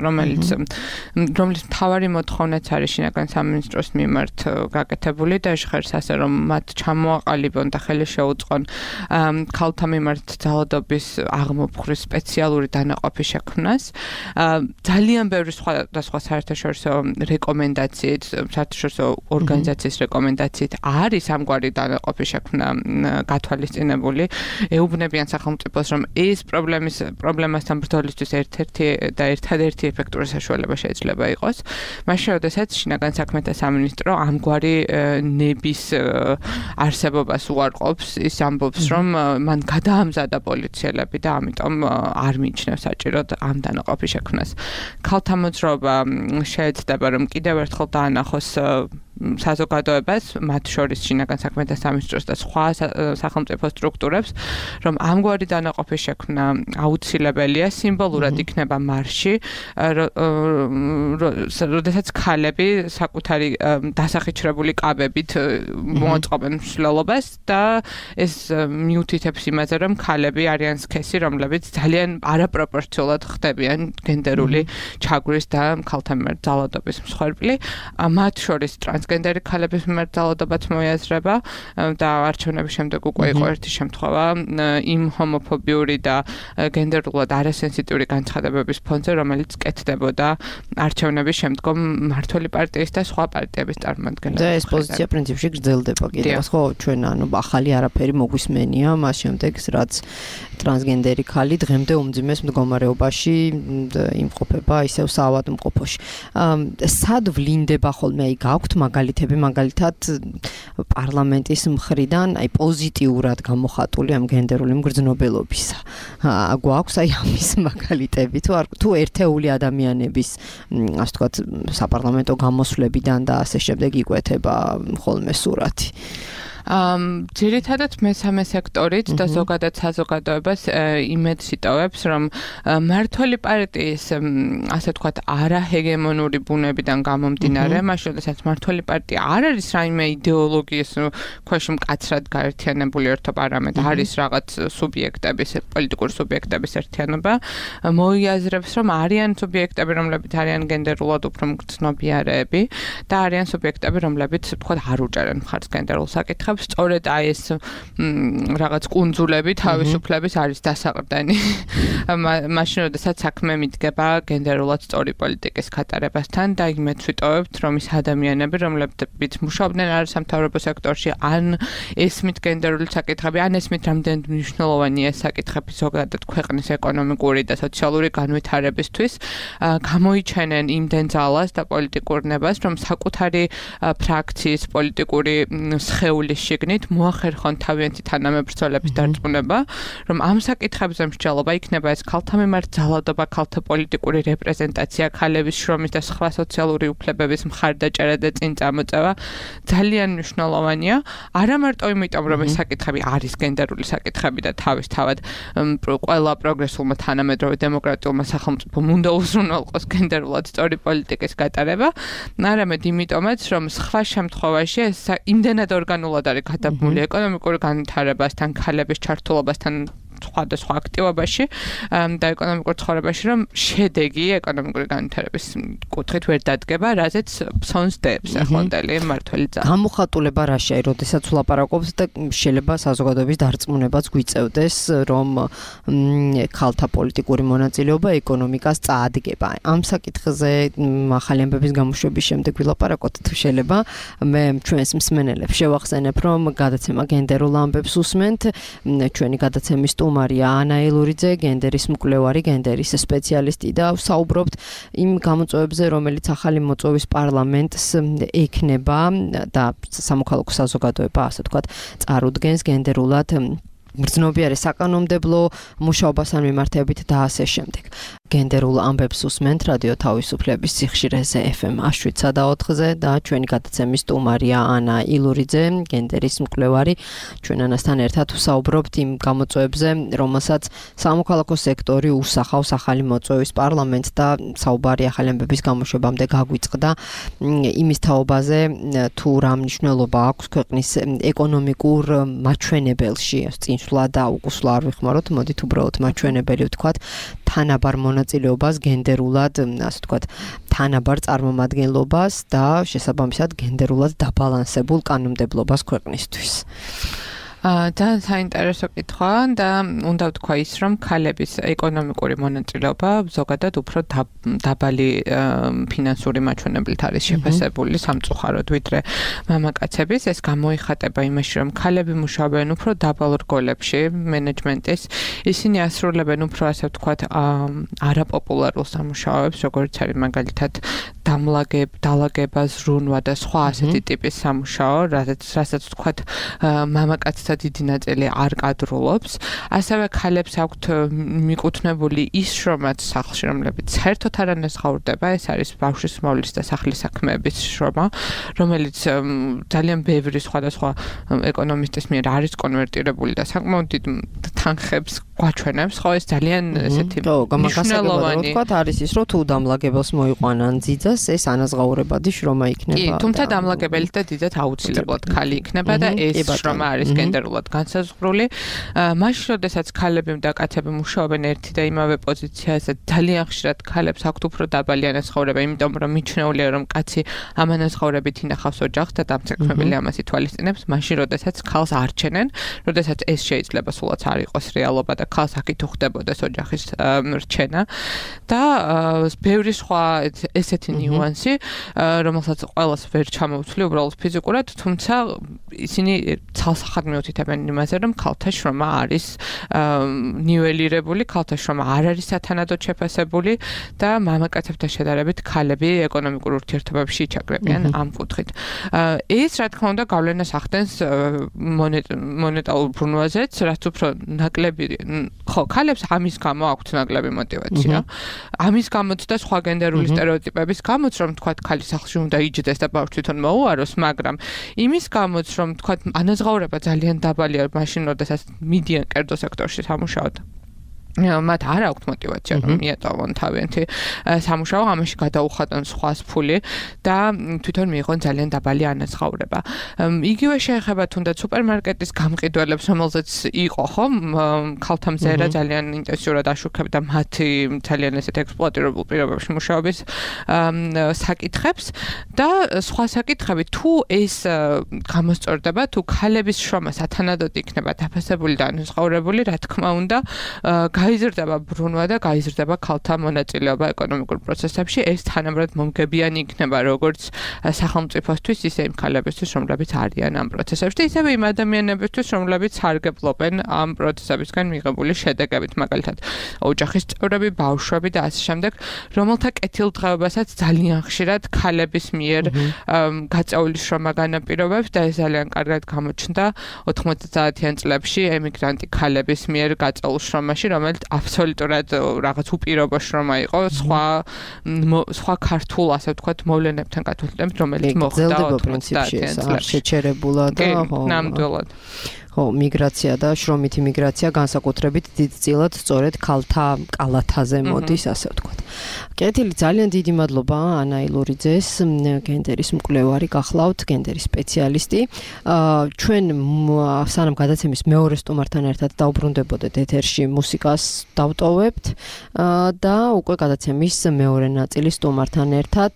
რომელიც მთავარი მოთხოვნაც არის შინაგან სამინისტროს მიმართ გაკეთებული და ჟღერს ასე, რომ მათ ჩამოაყალიბონ და ხელი შეუწყონ ქალთა მიმართ ძალადობის აღმოფხურის სპეციალური დანაყოფის შექმნას. ძალიან ბევრი სხვადასხვა საერთაშორისო რეკომენდაციით, საერთაშორისო ორგანიზაციის რეკომენდაციით არ არის ამგვარი დანაყოფი შექმნა გათვალისწინებული, ეუბნებიან სახელმწიფოს, რომ ეს პრობლემასთან ბრძოლისთვის ერთადერთი ეფექტური საშუალება შეიძლება იყოს. მაშინ, როდესაც შინაგან საქმეთა სამინისტრო ამგვარი ნების არსებობას უარყოფს, ის ამბობს, რომ მან გადაამზადა პოლიციელები და ამიტომ არ მიიჩნევს საჭიროდ ამ დანაყოფის შექმნას. ქალთა მოძრაობა შეეცდება, რომ კიდევ ერთხელ დაანახოს საზოგადოებას, მათ შორის შინაგან საქმეთა სამინისტროს და სხვა სახელმწიფო სტრუქტურებს, რომ ამგვარი დანაყოფის შექმნა აუცილებელია, სიმბოლურად იქნება მარში, როდესაც ქალები საკუთარი დასახიჩრებული კაბებით მოაწყობენ მსვლელობას და ეს მიუთითებს იმაზე, რომ ქალები არიან სქესი, რომლებიც ძალიან არაპროპორციულად ხდებიან გენდერული ჩაგვრის და ქალთა მიმართ ძალადობის მსხვერპლი. მათ შორის ტრანსგენდერი ქალების მიმართ ძალადობაც მოიაზრება და არჩევნების შემდეგ უკვე იყო ერთი შემთხვევა იმ ჰომოფობიური და გენდერულად არასენსიტიური განცხადებების ფონზე, რომელიც კეთდებოდა არჩევნების შემდგომ მმართველი პარტიის და სხვა პარტიების წარმომადგენლებს. და ეს პოზიცია პრინციპში გრძელდება კიდევ, ხო, ჩვენ ახალი არაფერი მოგვისმენია, მას შემდეგ რაც ტრანსგენდერი ქალი დღემდე უმძიმეს მდგომარეობაში იმყოფება ისევ საავადმყოფოში. სად ვლინდება ხოლმე გაქვთ მაგალითები, მაგალითად პარლამენტის მხრიდან პოზიტიურად გამოხატული ამ გენდერული მგრძნობელობისა. გვაქვს ამის მაგალითები თუ ერთეული ადამიანების, ასე ვთქვათ, საპარლამენტო გამოსვლებიდან და ასე შემდეგ იკვეთება ხოლმე სურათი. ძირითადად მესამე სექტორით და ზოგადად საზოგადოებას იმედს იტოვებს, რომ მმართველი პარტიის, ასე ვთქვათ, არაჰეგემონური ბუნებიდან გამომდინარე, მაშინ როდესაც მმართველი პარტია არ არის რაიმე იდეოლოგიის ქვეშ მკაცრად გაერთიანებული ერთობა, არამედ არის რაღაც სუბიექტების, პოლიტიკური სუბიექტების ერთიანობა, მოიაზრებს, რომ არიან სუბიექტები, რომლებიც არიან გენდერულად უფრო მგრძნობიარეები და არიან სუბიექტები, რომლებიც, ვთქვათ, არ უჭერენ მხარს გენდერულ საკითხებს. სწორედ ეს რაღაც კუნძულები თავისუფლების არის დასაყრდენი. მაშინ როდესაც საქმე მიდგება გენდერულად სწორი პოლიტიკის გატარებასთან და იმედს ვიტოვებთ, რომ ის ადამიანები, რომლებიც მუშაობდნენ არასამთავრობო სექტორში, ან ესმით გენდერული საკითხები, ან ესმით რამდენად მნიშვნელოვანია ეს საკითხები ზოგადად ქვეყნის ეკონომიკური და სოციალური განვითარებისთვის, გამოიჩენენ იმდენ ძალას და პოლიტიკურ ნებას, რომ საკუთარი ფრაქციის პოლიტიკური სხეულის შიგნით მოახერხონ თავიანთი თანამებრძოლების დარწმუნება, რომ ამ საკითხებზე მსჯელობა იქნება ეს ქალთა მიმართ ძალადობა, ქალთა პოლიტიკური რეპრეზენტაცია, ქალების შრომის და სხვა სოციალური უფლებების მხარდაჭერა და წინ წამოწევა ძალიან მნიშვნელოვანია. არა მარტო იმიტომ, რომ ეს საკითხები არის გენდერული საკითხები და თავისთავად ყველა პროგრესულმა თანამედროვე დემოკრატიულმა სახელმწიფომ უნდა უზრუნველყოს გენდერულად სწორი პოლიტიკის გატარება, არამედ იმიტომაც, რომ სხვა შემთხვევაში ეს იმდენად ორგანულად არის გადაბმული ეკონომიკური განვითარებასთან, ქალების ჩართულობასთან სხვადასხვა აქტივობაში და ეკონომიკურ ცხოვრებაში, რომ შედეგი ეკონომიკური განვითარების კუთხით ვერ დადგება, რაზეც ფსონს დებს ახლანდელი მმართველი ძალა. გამოხატულება რა შეა, როდესაც ვლაპარაკობთ და შეიძლება საზოგადოების დარწმუნებაც გვიწევდეს, რომ ქალთა პოლიტიკური მონაწილეობა ეკონომიკას წაადგება. ამ საკითხზე ახალი ამბების გამოშვების შემდეგ ვილაპარაკოთ, თუ შეიძლება. მე ჩვენს მსმენელებს შევახსენებ, რომ გადაცემა გენდერულ ამბებს უსმენთ, ჩვენი გადაცემის სტუმარია ანა ილურიძე, გენდერის მკვლევარი, გენდერის სპეციალისტი და საუბრობთ იმ გამოწვევებზე, რომელიც ახალი მოწვევის პარლამენტს ექნება და სამოქალაქო საზოგადოება, ასე ვთქვათ, წარუდგენს გენდერულად მგრძნობიარე საკანონმდებლო მუშაობასთან მიმართებით და ასე შემდეგ. გენდერულ ამბებს უსმენთ რადიო თავისუფლების სიხშირეზე FM 107.4-ზე და ჩვენი გადაცემის სტუმარია ანა ილურიძე, გენდერის მკვლევარი. ჩვენ ანასთან ერთად ვსაუბრობთ იმ გამოწვევებზე, რომელსაც სამოქალაქო სექტორი უსახავს ახალი მოწვევის პარლამენტს და საუბარი ახალი ამბების გამოშვებამდე გაგვიწყდა იმის თაობაზე, თუ რა მნიშვნელობა აქვს ქვეყნის ეკონომიკურ მაჩვენებელში, წინსვლა და უკუსვლა არ ვიხმაროთ, მოდით უბრალოდ მაჩვენებელი ვთქვათ, თანაბარ მონაწილეობას გენდერულად, ასე ვთქვათ, თანაბარ წარმომადგენლობას და შესაბამისად გენდერულად დაბალანსებულ კანონმდებლობას ქვეყნისთვის. ძალიან საინტერესო კითხვა და უნდა ვთქვა ის, რომ ქალების ეკონომიკური მონაწილეობა ზოგადად უფრო დაბალი ფინანსური მაჩვენებლით არის შეფასებული სამწუხაროდ, ვიდრე მამაკაცების. ეს გამოიხატება იმაში, რომ ქალები მუშაობენ უფრო დაბალ რგოლებში მენეჯმენტის, ისინი ასრულებენ უფრო ასე ვთქვათ არაპოპულარულ სამუშაოებს, როგორც არის მაგალითად დალაგება, ზრუნვა და სხვა ასეთი ტიპის სამუშაო, რასაც ვთქვათ მამაკაცთა დიდი ნაწილი არ კადრულობს. ასევე ქალებს აქვთ მიკუთვნებული ის შრომაც სახლში, რომლებიც საერთოდ არ ანაზღაურდება, ეს არის ბავშვის მოვლის და სახლის საქმეების შრომა, რომელიც ძალიან ბევრი სხვადასხვა ეკონომისტის მიერ არის კონვერტირებული და საკმაოდ დიდ თანხებს გვაჩვენებს, ხო ეს ძალიან ესეთი მნიშვნელოვანი ვთქვათ არის ის, რომ თუ დამლაგებელს მოიყვანან ძიძას, ეს ანაზღაურებადი შრომა იქნება. კი, თუმცა დამლაგებელი და ძიძად აუცილებლად ქალი იქნება და ეს შრომა არის გენდერულად განსაზღვრული. მაშინ, როდესაც ქალები და კაცები მუშაობენ ერთი და იმავე პოზიციაზე, ძალიან ხშირად ქალებს აქვთ უფრო დაბალი ანაზღაურება, იმიტომ რომ მიჩნეულია, რომ კაცი ამ ანაზღაურებით ინახავს ოჯახს და დამცეკმებელი ამას ითვალისწინებს, მაშინ, როდესაც ქალს არჩენენ, როდესაც ეს შეიძლება სულაც არ იყოს რეალობა და ქალს აქ ხდებოდეს ოჯახის რჩენა და ბევრი სხვა ესეთი ნიუანსი, რომელსაც ყველას ვერ ჩამოვთვლი უბრალოდ ფიზიკურად, თუმცა ისინი ცალსახად მიუთითებენ იმაზე, რომ ქალთა შრომა არის ნიველირებული, ქალთა შრომა არ არის სათანადოდ შეფასებული და მამაკაცებთან შედარებით ქალები ეკონომიკურ ურთიერთობებში იჩაგრებიან ამ კუთხით. ეს რა თქმა უნდა გავლენას ახდენს მონეტარულ ბრუნვაზეც, რაც უფრო ნაკლები ხო, ქალებს ამის გამო აქვთ ნაკლები мотиваცია. ამის გამოც და სხვა გენდერული სტერეოტიპების გამოც, რომ თქვათ ქალი სახლში უნდა იჯდეს და ბავშვი თვითონ მოუაროს, მაგრამ იმის გამოც, რომ თქვათ ანაზღაურება ძალიან დაბალია მაშინ, როდესაც მიდიან კერძო სექტორში სამუშაოდ. მათ არ აქვთ мотиваცია რომ მიეტოვონ თავიანთი სამუშაო, ამაში გადაუხადონ სხვას ფული და თვითონ მიიღონ ძალიან დაბალი ანაზღაურება. იგივე შეეხება თუნდაც სუპერმარკეტის გამყიდველებს, რომელზეც იყო ხო ქალთა მზერა ძალიან ინტენსიურად აშუქებდა მათი ძალიან ესეთ ექსპლუატირებულ პირობებში მუშაობის საკითხებს და სხვა საკითხები, თუ ეს გამოსწორდება, თუ ქალების შრომა სათანადოდ იქნება დაფასებული და ანაზღაურებული, რა თქმა უნდა გაიზრდება ბრუნვა და გაიზრდება ქალთა მონაწილეობა ეკონომიკურ პროცესებში. ეს თანაბრად მომგებიანი იქნება როგორც სახელმწიფოსთვის, ისე იმ ქალებისთვის, რომლებიც არიან ამ პროცესებში, ისევე იმ ადამიანებისთვის, რომლებიც სარგებლობენ ამ პროცესებისგან მიღებული შედეგებით, მაგალითად ოჯახის წევრები, ბავშვები და ასე შემდეგ, რომელთა კეთილდღეობასაც ძალიან ხშირად ქალების მიერ გაწეული შრომა განაპირობებს და ეს ძალიან კარგად გამოჩნდა 90-იან წლებში ემიგრანტი ქალების მიერ გაწეულ შრომაში, რომელიც აბსოლუტურად რაღაც უპირობო შრომა იყო სხვა ქართულ, ასე ვთქვათ, მოვლენებთან გათვალისწინებით, რომელიც მოხდა 90-იან წლებში. შეჩერებულად და ნამდვილად. ხო, მიგრაცია და შრომითი მიგრაცია განსაკუთრებით დიდწილად სწორედ ქალთა კალათაზე მოდის, ასე ვთქვათ. კეთილი, ძალიან დიდი მადლობა ანა ილურიძეს, გენდერის მკვლევარი გახლავთ, გენდერის სპეციალისტი. ჩვენ სანამ გადაცემის მეორე სტუმართან ერთად დაუბრუნდებოდეთ ეთერში, მუსიკას დავტოვებთ და უკვე გადაცემის მეორე ნაწილის სტუმართან ერთად,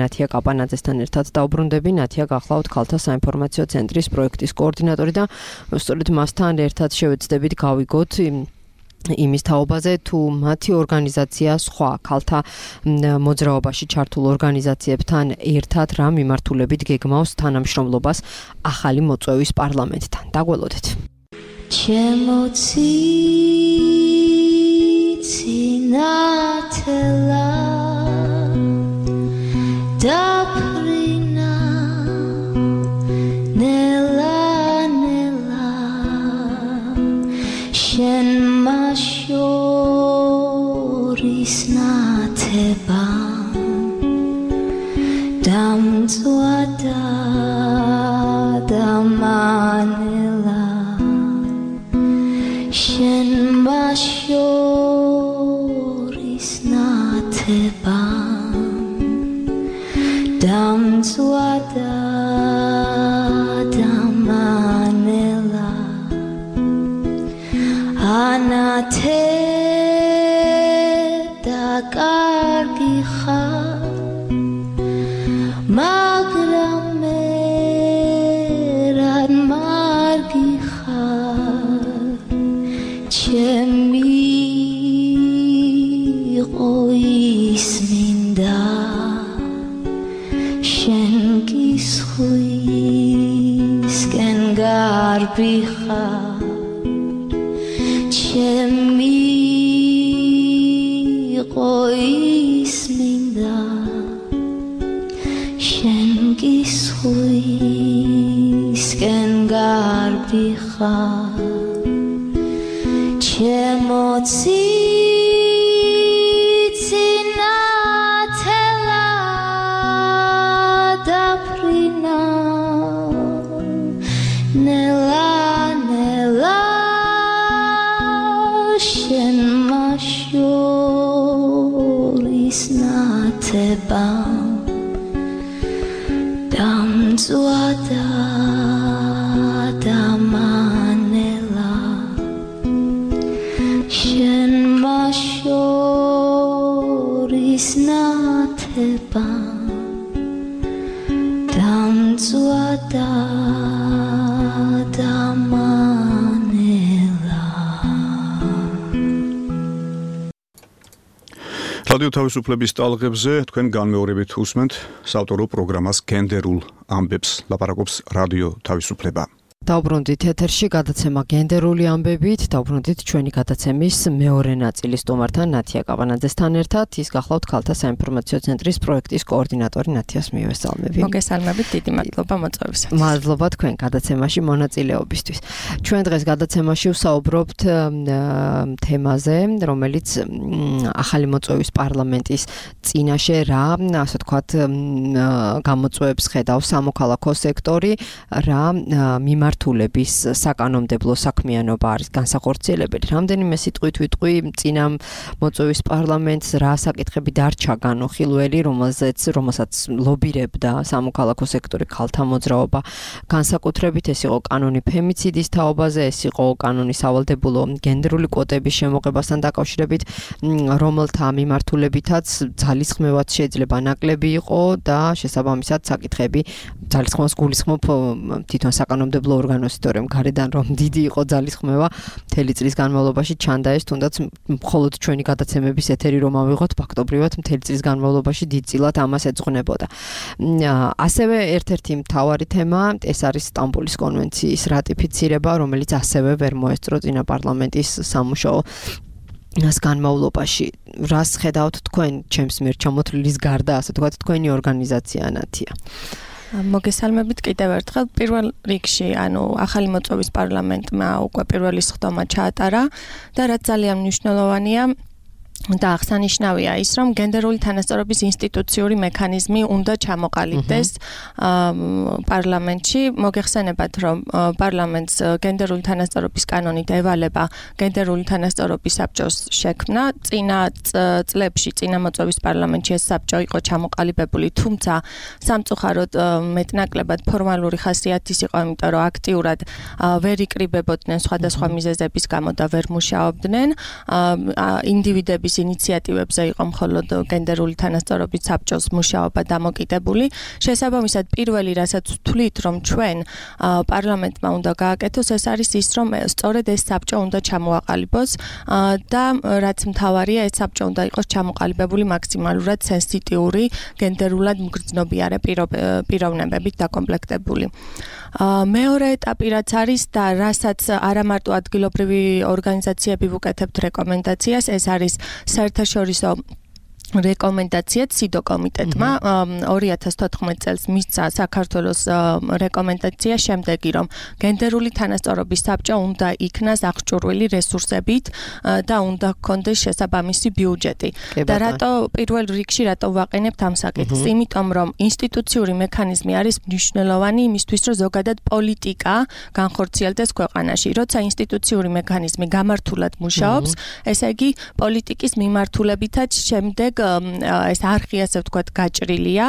ნათია კაპანაძესთან ერთად დაუბრუნდები. ნათია გახლავთ ქალთა საინფორმაციო ცენტრის პროექტის კოორდინატორი და სწორედ მასთან ერთად შევეცდებით გავიგოთ იმის თაობაზე, თუ მათი ორგანიზაცია სხვა ქალთა მოძრაობაში ჩართულ ორგანიზაციებთან ერთად რა მიმართულებით გეგმავს თანამშრომლობას ახალი მოწვევის პარლამენტთან. დაგველოდეთ. ჩემო ცინათელა დაფრინა შენ მაშორის ნათება დამწვადა დამანელა შენ მაშორის ნათება დამწვადა დამანელა ანათე და კარგი ხარ მაგრამ მე რად მარგი ხარ გარბი ხარ ჩემი ყოის მინდა შენ გისხვისკენ გარბი ხარ ჩემო ციცინათელა დაფრინა ნელა ნელა შენ მაშორის ნათება დამწვადა დამანელა შენ მაშორის ნათება დამწვადა დამანელა რადიო თავისუფლების ტალღებზე თქვენ განმეორებით უსმენთ საავტორო პროგრამას გენდერულ ამბებს ლაპარაკობს რადიო თავისუფლება. დავბრუნდით ეთერში გადაცემა გენდერული ამბებით, დავბრუნდით ჩვენი გადაცემის მეორე ნაწილის სტუმართან ნათია კავანაძესთან ერთად. ის გახლავთ ქალთა საინფორმაციო ცენტრის პროექტის კოორდინატორი ნათიას მივესალმები. მოგესალმებით, დიდი მადლობა მოწვევისათვის. მადლობა თქვენ გადაცემაში მონაწილეობისთვის. ჩვენ დღეს გადაცემაში ვსაუბრობთ თემაზე, რომელიც ახალი მოწვევის პარლამენტის წინაშე რა, ასე ვთქვათ, გამოწვევებს ხედავს სამოქალაქო სექტორი, რა მიმართულების საკანონმდებლო საქმიანობა არის განსახორციელებელი. რამდენიმე სიტყვით ვიტყვი წინა მოწვევის პარლამენტს რა საკითხები დარჩა განუხილველი, რომელსაც ლობირებდა სამოქალაქო სექტორი, ქალთა მოძრაობა. განსაკუთრებით ეს იყო კანონი ფემიციდის თაობაზე, ეს იყო კანონი სავალდებულო გენდერული კვოტების შემოღებასთან დაკავშირებით, რომელთა მიმართულებითაც ძალისხმევაც შეიძლება ნაკლები იყო და შესაბამისად საკითხები ძალისხმევას გულისხმობ თვითონ საკანონმდებლო ორგანოს, თორემ გარედან რომ დიდი იყო ძალისხმევა მთელი წლის განმავლობაში ჩანდა ეს, თუნდაც მხოლოდ ჩვენი გადაცემების ეთერი რომ ავიღოთ, ფაქტობრივად მთელი წლის განმავლობაში დიდწილად ამას ეძღვნებოდა. ასევე ერთ-ერთი მთავარი თემა ეს არის სტამბოლის კონვენციის რატიფიცირება, რომელიც ასევე ვერ მოესწრო წინა პარლამენტის სამუშაო განმავლობაში. რას ხედავთ თქვენ ჩემს მიერ ჩამოთვლილის გარდა, ასე ვთქვათ, თქვენი ორგანიზაცია ნათია? მოგესალმებით კიდევ ერთხელ. პირველ რიგში, ახალი მოწვევის პარლამენტმა უკვე პირველი სხდომა ჩაატარა და რაც ძალიან მნიშვნელოვანია და აღსანიშნავია ის, რომ გენდერული თანასწორობის ინსტიტუციური მექანიზმი უნდა ჩამოყალიბდეს პარლამენტში. მოგეხსენებათ, რომ პარლამენტს გენდერული თანასწორობის კანონით ევალება გენდერული თანასწორობის საბჭოს შექმნა. წინა წლებში, წინა მოწვევის პარლამენტში ეს საბჭო იყო ჩამოყალიბებული, თუმცა სამწუხაროდ მეტნაკლებად ფორმალური ხასიათის იყო, იმიტომ რომ აქტიურად ვერ იკრიბებოდნენ სხვადასხვა მიზეზების გამო და ვერ მუშაობდნენ. ინდივიდების ინიციატივებზე იყო მხოლოდ გენდერული თანასწორობის საბჭოს მუშაობა დამოკიდებული. შესაბამისად, პირველი რასაც ვთვლით, რომ ჩვენ პარლამენტმა უნდა გააკეთოს, ეს არის ის, რომ სწორედ ეს საბჭო უნდა ჩამოაყალიბოს და რაც მთავარია, ეს საბჭო უნდა იყოს ჩამოყალიბებული მაქსიმალურად სენსიტიური, გენდერულად მგრძნობიარე პიროვნებებით დაკომპლექტებული. მეორე ეტაპი რაც არის და რასაც არა მარტო ადგილობრივი ორგანიზაციები ვუკეთებთ რეკომენდაციას, ეს არის საერთაშორისო რეკომენდაცია ციდო კომიტეტმა 2014 წელს მისცა საქართველოს რეკომენდაცია შემდეგი, რომ გენდერული თანასწორობის საბჭო უნდა იქნას აღჭურვილი რესურსებით და უნდა ჰქონდეს შესაბამისი ბიუჯეტი. და რატო პირველ რიგში რატო ვაყენებთ ამ საკითხს? იმიტომ რომ ინსტიტუციური მექანიზმი არის მნიშვნელოვანი იმისთვის, რომ ზოგადად პოლიტიკა განხორციელდეს ქვეყანაში. როცა ინსტიტუციური მექანიზმი გამართულად მუშაობს, ესე იგი პოლიტიკის მიმართულებითაც შემდეგ ეს არხი, ასე ვთქვათ, გაჭრილია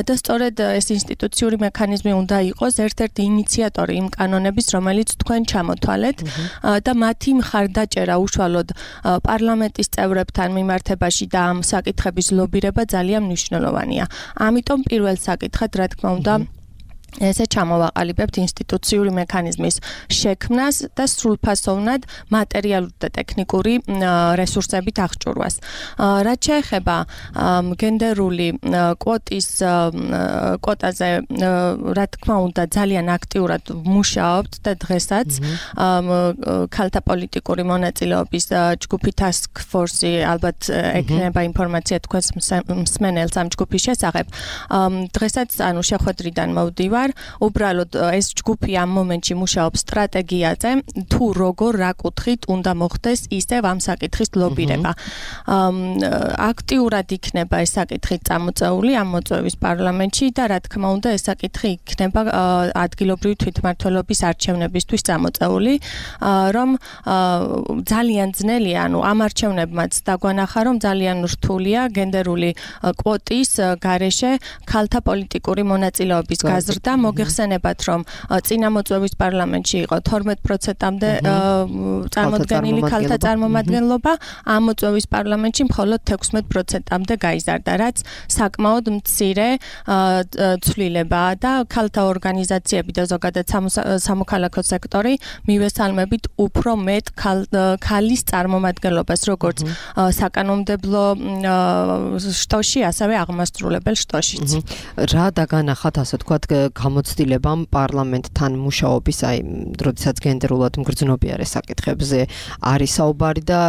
და სწორედ ეს ინსტიტუციური მექანიზმი უნდა იყოს ერთ-ერთი ინიციატორი იმ კანონების, რომელიც თქვენ ჩამოთვალეთ და მათი მხარდაჭერა უშუალოდ პარლამენტის წევრებთან მიმართებაში და ამ საკითხების ლობირება ძალიან მნიშვნელოვანია. ამიტომ პირველ საკითხად, რა თქმა უნდა, ესე ჩამოვაყალიბებთ ინსტიტუციური მექანიზმის შექმნას და სრულფასოვნად მატერიალური და ტექნიკური რესურსებით აღჭურვას. რაც შეეხება გენდერული კვოტაზე, რა თქმა უნდა, ძალიან აქტიურად მუშაობთ და დღესაც ქალთა პოლიტიკური მონაწილეობის ჯგუფი Task Force ალბათ ექნება ინფორმაცია თქვენს მსმენელს ამ ჯგუფის შესახებ. დღესაც ანუ შეხვედრიდან მოვდივარ. უბრალოდ ეს ჯგუფი ამ მომენტში მუშაობს სტრატეგიაზე, თუ როგორ რა კუთხით უნდა მოხდეს ისევ ამ საკითხის ლობირება. აქტიურად იქნება ეს საკითხი წამოწეული ამ მოწვევის პარლამენტში და რა თქმა უნდა ეს საკითხი იქნება ადგილობრივი თვითმმართველობის არჩევნებისთვის წამოწეული, რომ ძალიან ძნელია, ანუ ამ არჩევნებმაც დაგვანახა, რომ ძალიან რთულია გენდერული კვოტის გარეშე ქალთა პოლიტიკური მონაწილეობის გაზრდა. მოგეხსენებათ, რომ წინა მოწვევის პარლამენტში იყო 12%-მდე წარმოდგენილი ქალთა წარმომადგენლობა, ამ მოწვევის პარლამენტში მხოლოდ 16%-მდე გაიზარდა, რაც საკმაოდ მცირე ცვლილებაა და ქალთა ორგანიზაციები და ზოგადად სამოქალაქო სექტორი მივესალმებით უფრო მეტ ქალის წარმომადგენლობას, როგორც საკანონმდებლო შტოში, ასევე აღმასრულებელ შტოშიც. რა დაგანახათ, ასე თქვათ, გამოცდილებამ პარლამენტთან მუშაობის, როდესაც გენდერულად მგრძნობიარე საკითხებზე არის საუბარი და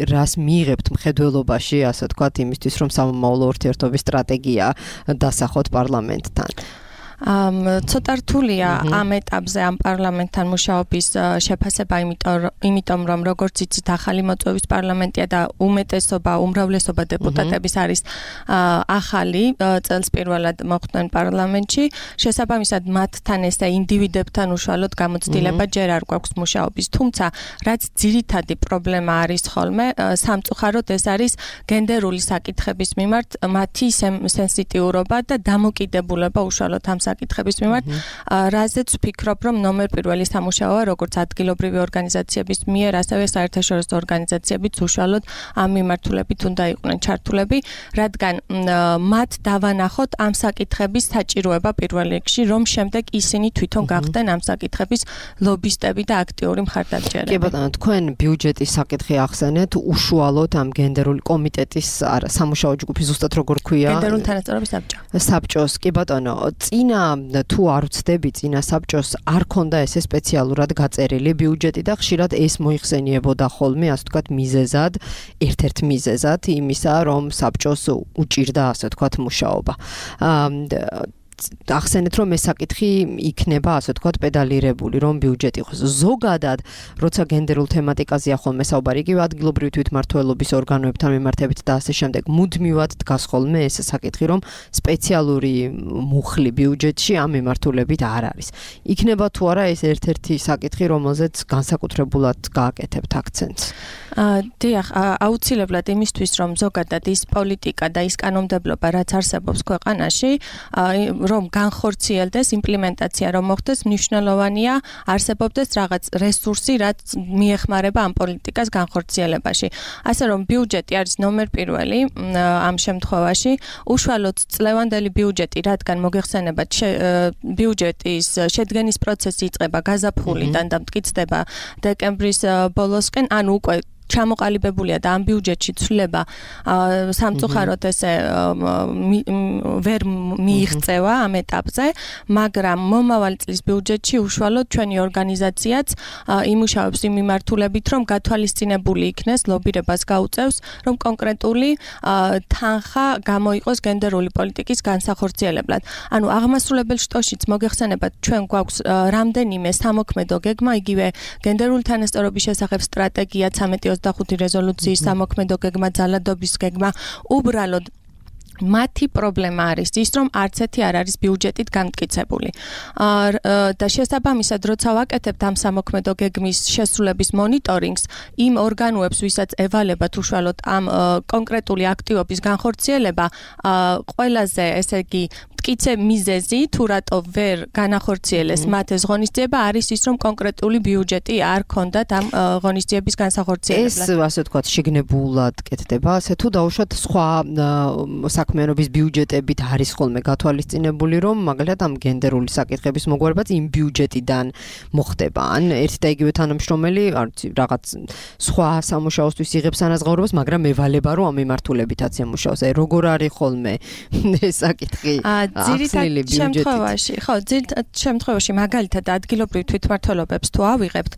რას მიიღებთ მხედველობაში, ასე თქვათ, იმისთვის, რომ სამომავლო ურთიერთობის სტრატეგია დასახოთ პარლამენტთან. ცოტა რთულია ამ ეტაპზე ამ პარლამენტთან მუშაობის შეფასება, იმიტომ რომ როგორც იცით, ახალი მოწვევის პარლამენტია და უმრავლესობა დეპუტატების არის ახალი, წელს პირველად მოხვდნენ პარლამენტში. შესაბამისად, მათთან ესე ინდივიდებთან უშუალოდ გამოცდილება ჯერ არ გვაქვს მუშაობის. თუმცა, რაც ძირითადი პრობლემა არის ხოლმე, სამწუხაროდ ეს არის გენდერული საკითხების მიმართ მათი სენსიტიურობა და დამოკიდებულება უშუალოდ ამ საკითხების მიმართ, რაზეც ვფიქრობ, რომ ნომერ პირველი სამუშაოა, როგორც ადგილობრივი ორგანიზაციების მიერ, ასევე საერთაშორისო ორგანიზაციებიც უშუალოდ ამ მიმართულებით უნდა იყვნენ ჩართულები, რადგან მათ დავანახოთ ამ საკითხების საჭიროება პირველ რიგში, რომ შემდეგ ისინი თვითონ გახდნენ ამ საკითხების ლობისტები და აქტიური მხარდამჭერები. კი ბატონო, თქვენ ბიუჯეტის საკითხი ახსენეთ, უშუალოდ ამ გენდერული კომიტეტის სამუშაო ჯგუფი, ზუსტად როგორ ქვია? გენდერული თანასწორობის საბჭოს. კი ბატონო, წინა თუ არ ვცდები, წინა საბჭოს არ ქონდა ესე სპეციალურად გაწერილი ბიუჯეტი და ხშირად ეს მოიხსენიებოდა ხოლმე, ასე ვთქვათ, მიზეზად, ერთ-ერთ მიზეზად იმისა, რომ საბჭოს უჭირდა, ასე ვთქვათ, მუშაობა. ახსენეთ, რომ ეს საკითხი იქნება, ასე ვთქვათ, პედალირებული, რომ ბიუჯეტი იყოს. ზოგადად, როცა გენდერულ თემატიკაზეა ხოლმე საუბარი, იგივე ადგილობრივი თვითმმართველობის ორგანოებთან მიმართებით და ასე შემდეგ, მუდმივად დგას ხოლმე ეს საკითხი, რომ სპეციალური მუხლი ბიუჯეტში ამ მიმართულებით არ არის. იქნება თუ არა ეს ერთ-ერთი საკითხი, რომელზეც განსაკუთრებულად გააკეთებთ აქცენტს? დიახ, აუცილებლად იმისთვის, რომ ზოგადად ის პოლიტიკა და ის კანონმდებლობა, რაც არსებობს ქვეყანაში, რომ განხორციელდეს იმპლემენტაცია, რომ მოხდეს, მნიშვნელოვანია არსებობდეს რაღაც რესურსი, რაც მიეხმარება ამ პოლიტიკას განხორციელებაში. ასე რომ ბიუჯეტი არის ნომერ პირველი ამ შემთხვევაში, უშუალოდ წლევანდელი ბიუჯეტი, რადგან მოგეხსენებათ, ბიუჯეტის შედგენის პროცესი იწყება გაზაფხულიდან და მტკიცდება დეკემბრის ბოლოსკენ, ანუ უკვე ჩამოყალიბებულია და ამ ბიუჯეტში ცვლილება სამწუხაროდ ესე ვერ მიიღწევა ამ ეტაპზე, მაგრამ მომავალი წლის ბიუჯეტში უშუალოდ ჩვენი ორგანიზაციაც იმუშავებს იმ მიმართულებით, რომ გათვალისწინებული იქნეს, ლობირებას გაუწევს, რომ კონკრეტული თანხა გამოიყოს გენდერული პოლიტიკის განსახორციელებლად. ანუ აღმასრულებელ შტოშიც მოგეხსენებათ, ჩვენ გვაქვს რამდენიმე სამოქმედო გეგმა, იგივე გენდერული თანასწორობის შესახებ სტრატეგია 1325 რეზოლუციის სამოქმედო გეგმა, ძალადობის გეგმა, უბრალოდ მათი პრობლემა არის ის, რომ არც ერთი არ არის ბიუჯეტით გამტკიცებული. და შესაბამისად, როცა ვაკეთებთ ამ სამოქმედო გეგმის შესრულების მონიტორინგს, იმ ორგანოებს, ვისაც ევალებათ უშუალოდ ამ კონკრეტული აქტივობის განხორციელება, ყველაზე, ესე იგი, მტკიცე მიზეზი თუ რატო ვერ განახორციელეს მათ ეს ღონისძიება არის ის რომ კონკრეტული ბიუჯეტი არ ქონდათ ამ ღონისძიების განსახორციელებლად. ეს ასე ვთქვათ შეგნებულად კეთდება, ასე თუ დაუშვათ სხვა საქმიანობის ბიუჯეტებით არის ხოლმე გათვალისწინებული რომ მაგალითად ამ გენდერული საკითხების მოგვარებაც იმ ბიუჯეტიდან მოხდება. ან ერთი და იგივე თანამშრომელი რაღაც სხვა სამუშაოსთვის იღებს ანაზღაურებას, მაგრამ ევალება რომ ამ მიმართულებითაც ემუშაოს. აი როგორ არის ხოლმე ეს საკითხი? ძირითადად შემთხვევაში, ხო, ძირითადად შემთხვევაში მაგალითად ადგილობრივ თვითმმართველობებს თუ ავიღებთ,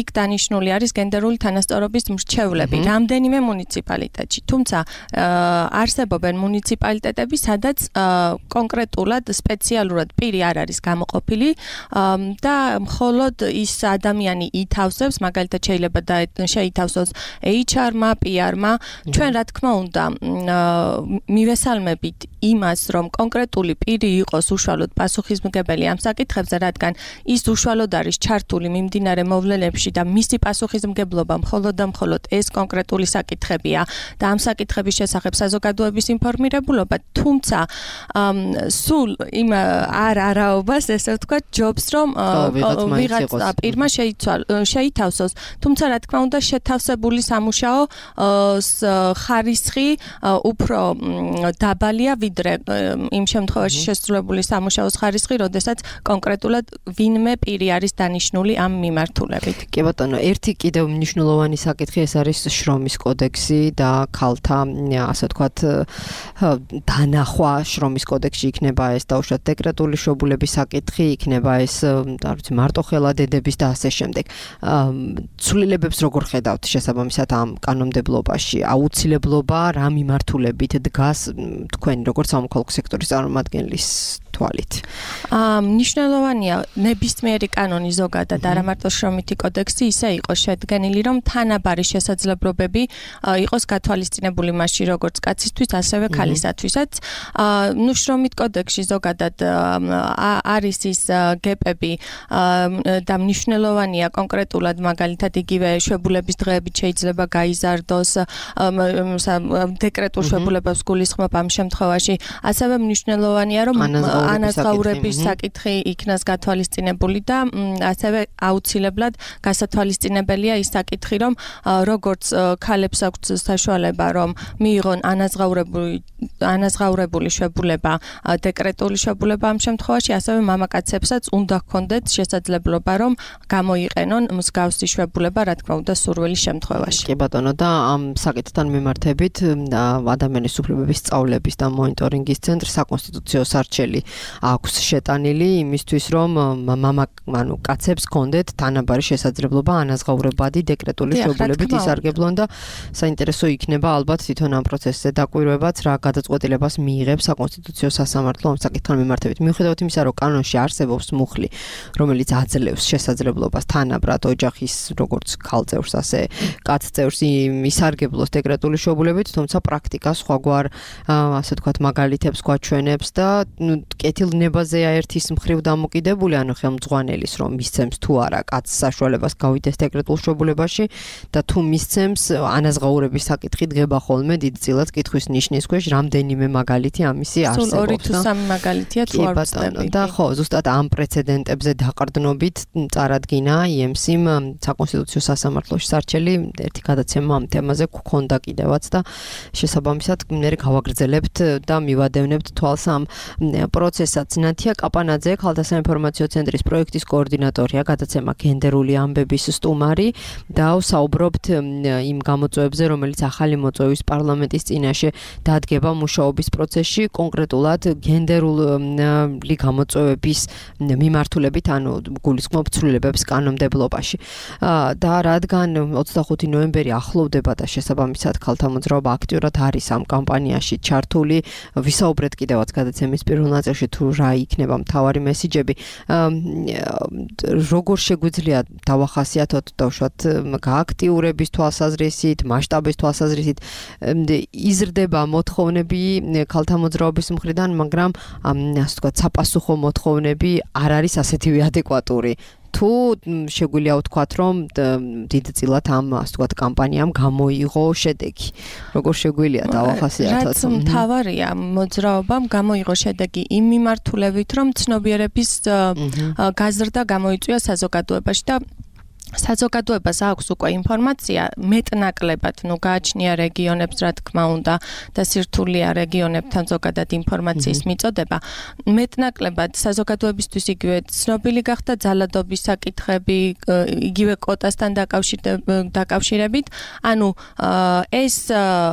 იქ დანიშნული არის გენდერული თანასწორობის მრჩევლები რამდენიმე მუნიციპალიტეტში. თუმცა არსებობენ მუნიციპალიტეტები, სადაც კონკრეტულად სპეციალურად პირი არ არის გამოყოფილი და მხოლოდ ის ადამიანი ითავსებს, მაგალითად შეიძლება შეითავსოს HR-მა, PR-მა. ჩვენ რა თქმა უნდა მივესალმებით იმას, რომ კონკრეტული პირი იყოს უშუალოდ პასუხისმგებელი ამ საკითხებზე, რადგან ის უშუალოდ არის ჩართული მიმდინარე მოვლენებში და მისი პასუხისმგებლობა მხოლოდ და მხოლოდ ეს კონკრეტული საკითხებია და ამ საკითხების შესახებ საზოგადოების ინფორმირებულობა, თუმცა სულ იმ არაობას ესე ვთქვათ, ჯობს რომ ვიღაცა პირმა შეითავსოს, თუმცა რა თქმა უნდა შეთავსებული სამუშაო ხარისხი უფრო დაბალია ვიდრე იმ შემთხვევაში შესრულებული სამუშაოს ხარისხი, როდესაც კონკრეტულად ვინმე პირი არის დანიშნული ამ მიმართულებით. კი ბატონო, ერთი კიდევ მნიშვნელოვანი საკითხი ეს არის შრომის კოდექსი და ქალთა, ასე ვთქვათ, დანახვა შრომის კოდექსში იქნება ეს დაუშვათ დეკრეტული შობულების საკითხი, იქნება ეს, არ ვიცი, მარტოხელა დედების და ასე შემდეგ. ცვლილებებს როგორ ხედავთ შესაბამისად ამ კანონმდებლობაში? აუცილებლობა რა მიმართულებით დგას თქვენი როგორც სამოქალაქო სექტორის წარმომადგენლის თვალით? მნიშვნელოვანია ნებისმიერი კანონი ზოგადად არა მარტო შრომითი კოდექსი ისე იყოს შედგენილი, რომ თანაბარი შესაძლებლობები იყოს გათვალისწინებული მასში როგორც კაცისთვის, ასევე ქალისათვისაც. შრომით კოდექსში ზოგადად არის ის გეპები და მნიშვნელოვანია კონკრეტულად მაგალითად იგივე შვებულების დღეებით შეიძლება გაიზარდოს დეკრეტულ შვებულებას გულისხმობ ამ შემთხვევაში. ასევე მნიშვნელოვანია რომ ანაზღაურების საკითხი იქნას გათვალისწინებული და ასევე აუცილებლად გასათვალისწინებელია ის საკითხი, რომ როგორც ქალებს აქვთ საშუალება, რომ მიიღონ ანაზღაურებული შვებულება, დეკრეტული შვებულება ამ შემთხვევაში, ასევე მამაკაცებსაც უნდა ჰქონდეთ შესაძლებლობა, რომ გამოიყენონ მსგავსი შვებულება, რა თქმა უნდა, სურვილის შემთხვევაში. კი ბატონო, და ამ საკითხთან მიმართებით ადამიანის უფლებების სწავლების და მონიტორინგის ცენტრს საკონსტიტუციო სარჩელი აქვს შეტანილი იმისთვის, რომ კაცებს ჰქონდეთ თანაბარი შესაძლებლობა ანაზღაურებადი დეკრეტული შვებულებით ისარგებლონ და საინტერესო იქნება ალბათ თვითონ ამ პროცესზე დაკვირვებაც რა გადაწყვეტილებას მიიღებს საკონსტიტუციო სასამართლო ამ საკითხთან მიმართებით. მიუხედავად იმისა, რომ კანონში არსებობს მუხლი, რომელიც აძლევს შესაძლებლობას თანაბრად ოჯახის როგორც ქალწევრს, ასე კაცწევრს ისარგებლოს დეკრეტული შვებულებით, თუმცა პრაქტიკა სხვაგვარ ასე ვთქვათ მაგალითებს გვაჩვენებს და კეთილნებაზეა ერთის მხრივ დამოკიდებული, ანუ ხელმძღვანელის რომ მისცემს თუ არა კაცს საშუალებას გავიდეს დეკრეტულ შვებულებაში და თუ მისცემს ანაზღაურების საკითხი დგება ხოლმე დიდწილად კითხვის ნიშნის ქვეშ რამდენიმე მაგალითი ამისი არსებობს. სულ 2 თუ 3 მაგალითია თუ არ ვწდები. და ხო, ზუსტად ამ პრეცედენტებზე დაყრდნობით წარადგინა IMC-მ საკონსტიტუციო სასამართლოში სარჩელი ერთი გადაცემა ამ თემაზე გქონდა კიდევაც და შესაბამისად მე გავაგრძელებთ და მივადევნებთ თვალს ამ პროცესსაც. ნათია კაპანაძე, ქალთა საინფორმაციო ცენტრის პროექტის კოორდინატორია, გადაცემა გენდერული ამბების სტუმარი და ვსაუბრობთ იმ გამოწვევებზე, რომელიც ახალი მოწვევის პარლამენტის წინაშე დადგება მუშაობის პროცესში, კონკრეტულად გენდერული გამოწვევების მიმართულებით, ანუ გულისხმობ ცვლილებებს კანონმდებლობაში. და რადგან 25 ნოემბერი ახლოვდება და შესაბამისად ქალთა მოძრაობა აქტიურად არის ამ კამპანიაში ჩართული, ვისაუბრეთ კიდევაც გადაცემის პირველ ნაწილში თუ რა იქნება მთავარი მესიჯები. როგორ შეგვიძლია დავახასიათოთ დავუშვათ გააქტიურების თვალსაზრისით, მასშტაბის თვალსაზრისით იზრდება მოთხოვნები ქალთა მოძრაობის მხრიდან, მაგრამ ასე ვთქვათ, საპასუხო მოთხოვნები არ არის ასეთივე ადეკვატური. თუ შეგვიძლია ვთქვათ, რომ დიდწილად ამ ასე ვთქვათ კამპანიამ გამოიღო შედეგი. როგორ შეგვიძლია დავახასიათოთ? რაც მთავარია მოძრაობამ გამოიღო შედეგი იმ მიმართულებით, რომ ცნობიერების გაზრდა გამოიწვია საზოგადოებაში და საზოგადოებას აქვს უკვე ინფორმაცია მეტნაკლებად, გააჩნია რეგიონებს, რა თქმა უნდა, და სირთულეა რეგიონებთან ზოგადად ინფორმაციის მიწოდება. მეტნაკლებად საზოგადოებისთვის იგივე ცნობილი გახდა ძალადობის საკითხები, იგივე კვოტასთან დაკავშირებით. ანუ ეს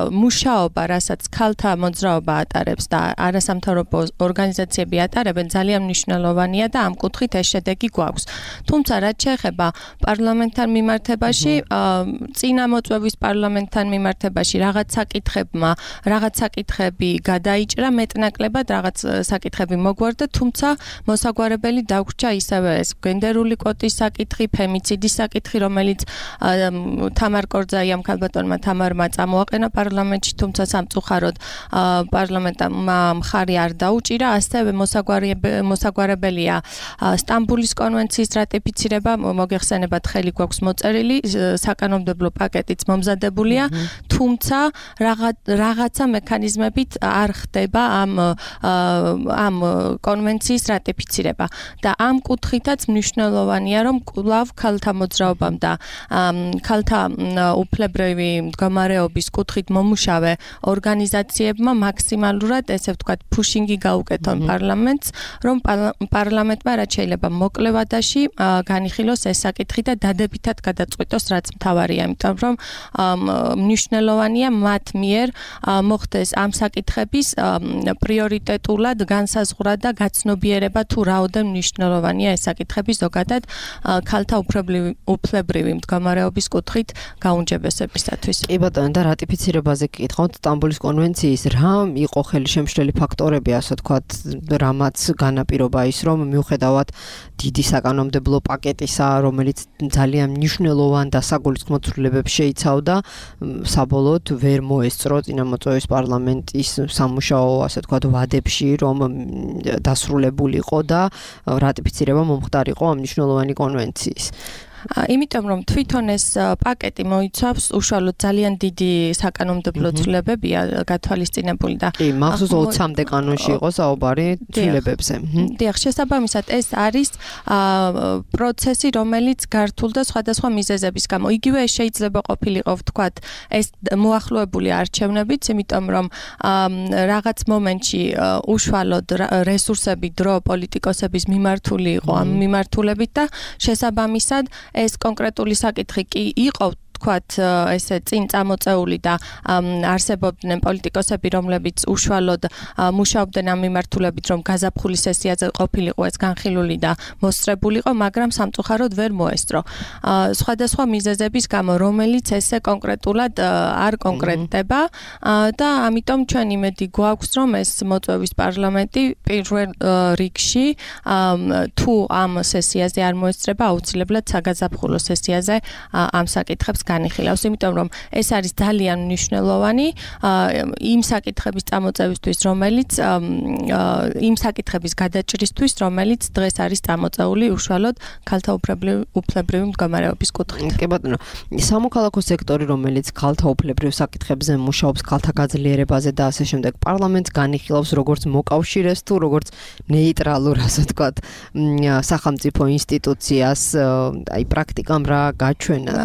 მუშაობა, რასაც ქალთა მოძრაობა ატარებს და არასამთავრობო ორგანიზაციები ატარებენ, ძალიან მნიშვნელოვანია და ამ კუთხით ეს შედეგი გვაქვს. თუმცა რაც შეეხება პარლამენტთან მიმართებაში, წინამოწვევის პარლამენტთან მიმართებაში რაღაც საკითხები გადაიჭრა მეტნაკლებად, რაღაც საკითხები მოგვარდა, თუმცა მოსაგვარებელი დაგვრჩა ისევე ეს გენდერული კვოტის საკითხი, ფემიციდის საკითხი, რომელიც თამარ კორძაიამ ქალბატონმა თამარმა წამოაყენა პარლამენტში, თუმცა სამწუხაროდ პარლამენტამ მხარი არ დაუჭირა, ასევე მოსაგვარებელია სტამბულის კონვენციის რატიფიცირება, მოგეხსენებათ ხელი გვაქვს მოწერილი, საკანონმდებლო პაკეტიც მომზადებულია, თუმცა რაღაცა მექანიზმებით არ ხდება ამ კონვენციის რატიფიცირება და ამ კუთხითაც მნიშვნელოვანია, რომ კვლავ ქალთა მოძრაობამ და ქალთა უფლებრივი მდგომარეობის კუთხით მომუშავე ორგანიზაციებმა მაქსიმალურად, ესე ვთქვათ, ფუშინგი გაუკეთონ პარლამენტს, რომ პარლამენტმა რაც შეიძლება მოკლე ვადაში განიხილოს ეს საკითხი და დადებითად გადაწყვიტოს, რაც მთავარია, იმიტომ რომ მნიშვნელოვანია მათ მიერ მოხდეს ამ საკითხების პრიორიტეტულად განსაზღვრა და გაცნობიერება, თუ რაოდენ მნიშვნელოვანია ეს საკითხები ზოგადად ქალთა უფლებრივი მდგომარეობის კუთხით გაუმჯობესებისათვის. კი ბატონო, და რატიფიცირებაზე გითხავთ, სტამბულის კონვენციის რა იყო ხელშემშლელი ფაქტორები, ასე ვთქვათ, რამაც განაპირობა ის, რომ მიუხედავად დიდი საკანონმდებლო პაკეტისა, რომელიც ძალიან მნიშვნელოვან და საგულისხმო ცვლილებებს შეიცავდა, საბოლოოდ ვერ მოესწრო წინამოწვევის პარლამენტის სამუშაო, ასე ვთქვათ, ვადებში, რომ დასრულებულიყო და რატიფიცირება მომხდარიყო ამ მნიშვნელოვანი კონვენციის. იმიტომ რომ თვითონ ეს პაკეტი მოიცავს უშუალოდ ძალიან დიდი საკანონმდებლო ცვლილებებია გათვალისწინებული და კი, მახსოვს 20-მდე კანონში იყო საუბარი ცვლილებებზე. დიახ, შესაბამისად ეს არის პროცესი, რომელიც გართულდა სხვადასხვა მიზეზების გამო. იგივე ეს შეიძლება ყოფილიყო, ვთქვათ, ეს მოახლოებული არჩევნებიც, იმიტომ რომ რაღაც მომენტში უშუალოდ რესურსები, დრო პოლიტიკოსების მიმართული იყო ამ მიმართულებით და შესაბამისად ეს კონკრეტული საკითხი კი იყო ვთქვათ, ესე წინ წამოწეული და არსებობდნენ პოლიტიკოსები, რომლებიც უშუალოდ მუშაობდნენ ამ მიმართულებით, რომ გაზაფხული სესიაზე ყოფილიყო ეს განხილული და მოსწრებულიყო, მაგრამ სამწუხაროდ ვერ მოესწრო. სხვადასხვა მიზეზების გამო, რომელიც ესე კონკრეტულად არ კონკრეტდება და ამიტომ ჩვენ იმედი გვაქვს, რომ ეს მოწვევის პარლამენტი პირველ რიგში თუ ამ სესიაზე არ მოესწრება, აუცილებლად საგაზაფხულო სესიაზე ამ საკითხებს განიხილავს, იმიტომ რომ ეს არის ძალიან მნიშვნელოვანი იმ საკითხების წამოწევისთვის, რომელიც იმ საკითხების გადაჭრისთვის, რომელიც დღეს არის წამოწეული უშუალოდ ქალთა უფლებრივი მდგომარეობის კუთხით. კი ბატონო, სამოქალაქო სექტორი, რომელიც ქალთა უფლებრივ საკითხებზე მუშაობს, ქალთა გაძლიერებაზე და ასე შემდეგ, პარლამენტს განიხილავს როგორც მოკავშირეს თუ როგორც ნეიტრალურ, ასე ვთქვათ, სახელმწიფო ინსტიტუციას, აი პრაქტიკამ რა გაჩვენათ?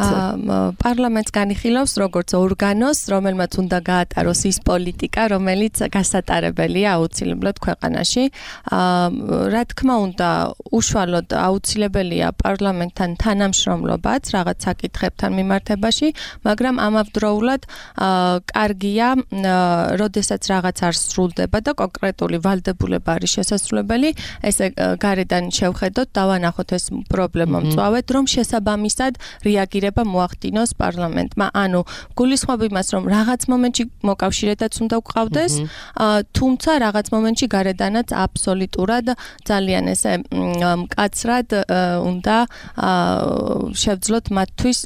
პარლამენტს განიხილავს როგორც ორგანოს, რომელმაც უნდა გაატაროს ის პოლიტიკა, რომელიც გასატარებელია აუცილებლად ქვეყანაში. რა თქმა უნდა, უშუალოდ აუცილებელია პარლამენტთან თანამშრომლობაც რაღაც საკითხებთან მიმართებაში, მაგრამ ამავდროულად კარგია, როდესაც რაღაც არ სრულდება და კონკრეტული ვალდებულება არის შესაძლებელი, ესე გარედან შევხედოთ, დავანახოთ ეს პრობლემა მწვავედ, რომ შესაბამისად რეაგირება მოახდინოს წარუდგინოს პარლამენტმა. ანუ გულისხმობ იმას, რომ რაღაც მომენტში მოკავშირედაც უნდა გვყავდეს, თუმცა რაღაც მომენტში გარედანაც აბსოლუტურად ძალიან ესე მკაცრად უნდა შევძლოთ მათთვის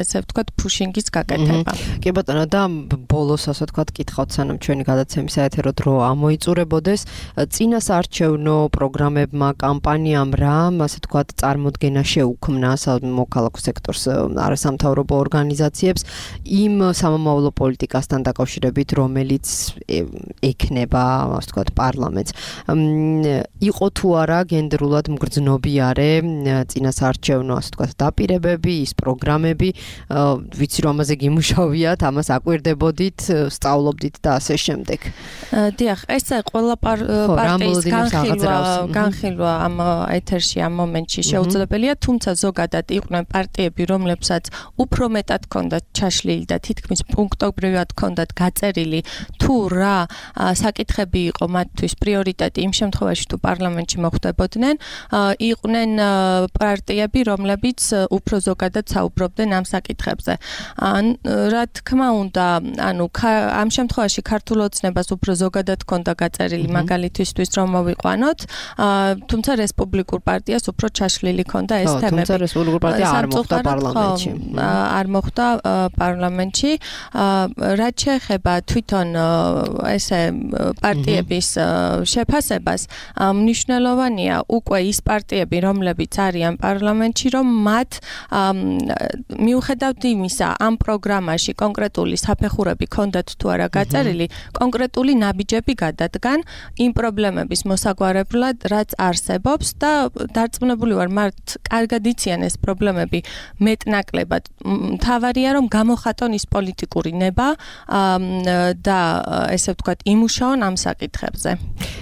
ესე ვთქვათ ფუშინგის გაკეთება. კი ბატონო და ბოლოს ასე ვთქვათ კითხავთ სანამ ჩვენი გადაცემის საეთერო დრო ამოიწურებოდეს წინასაარჩევნო პროგრამებმა კამპანიამ რა ასე ვთქვათ წარმოდგენა შეუქმნა მოქალაქო სექტორს არასამთავრობო ორგანიზაციებს იმ სამომავლო პოლიტიკასთან დაკავშირებით რომელიც ექნება ასე ვთქვათ პარლამენტს იყო თუ არა გენდერულად მგრძნობიარე წინასაარჩევნო ასე ვთქვათ დაპირებები ის პროგრამები ვიცი რომ ამაზე გიმუშავიათ ამას აკვირდებოდით სწავლობდით და ასე შემდეგ დიახ ეს ყველა პარტიის განხილვა ამ ეთერში ამ მომენტში შეუძლებელია თუმცა ზოგადად იყვნენ პარტიები რომლებსაც უფრო მეტად ჰქონდათ ჩაშლილი და თითქმის პუნქტობრივად ჰქონდათ გაწერილი თუ რა საკითხები იყო მათთვის პრიორიტეტი იმ შემთხვევაში თუ პარლამენტში მოხვდებოდნენ იყვნენ პარტიები რომლებიც უფრო ზოგადად საუბრობდნენ ამ საკითხებზე რა თქმა უნდა ანუ ამ შემთხვევაში ქართულ ოცნებას უფრო ზოგადად ჰქონდა გაწერილი მაგალითისთვის რომ მოვიყვანოთ თუმცა რესპუბლიკურ პარტიას უფრო ჩაშლილი ჰქონდა ეს თემები თუმცა რესპუბლიკურ პარტია არ მოხვდა პარლამენტში არ მოხვდა პარლამენტში რაც შეეხება თვითონ ესე პარტიების შეფასებას მნიშვნელოვანია უკვე ის პარტიები რომლებიც არიან პარლამენტში რომ მათ მიუხედავად იმისა ამ პროგრამაში კონკრეტული საფეხურები ჰქონდათ თუ არა გაწერილი კონკრეტული ნაბიჯები გადადგან იმ პრობლემების მოსაგვარებლად რაც არსებობს და დარწმუნებული ვარ მათ კარგად იციან ეს პრობლემები მეტნაკლებად მთავარია რომ გამოხატონ ის პოლიტიკური ნება და ესე ვთქვათ იმუშაონ ამ საკითხებზე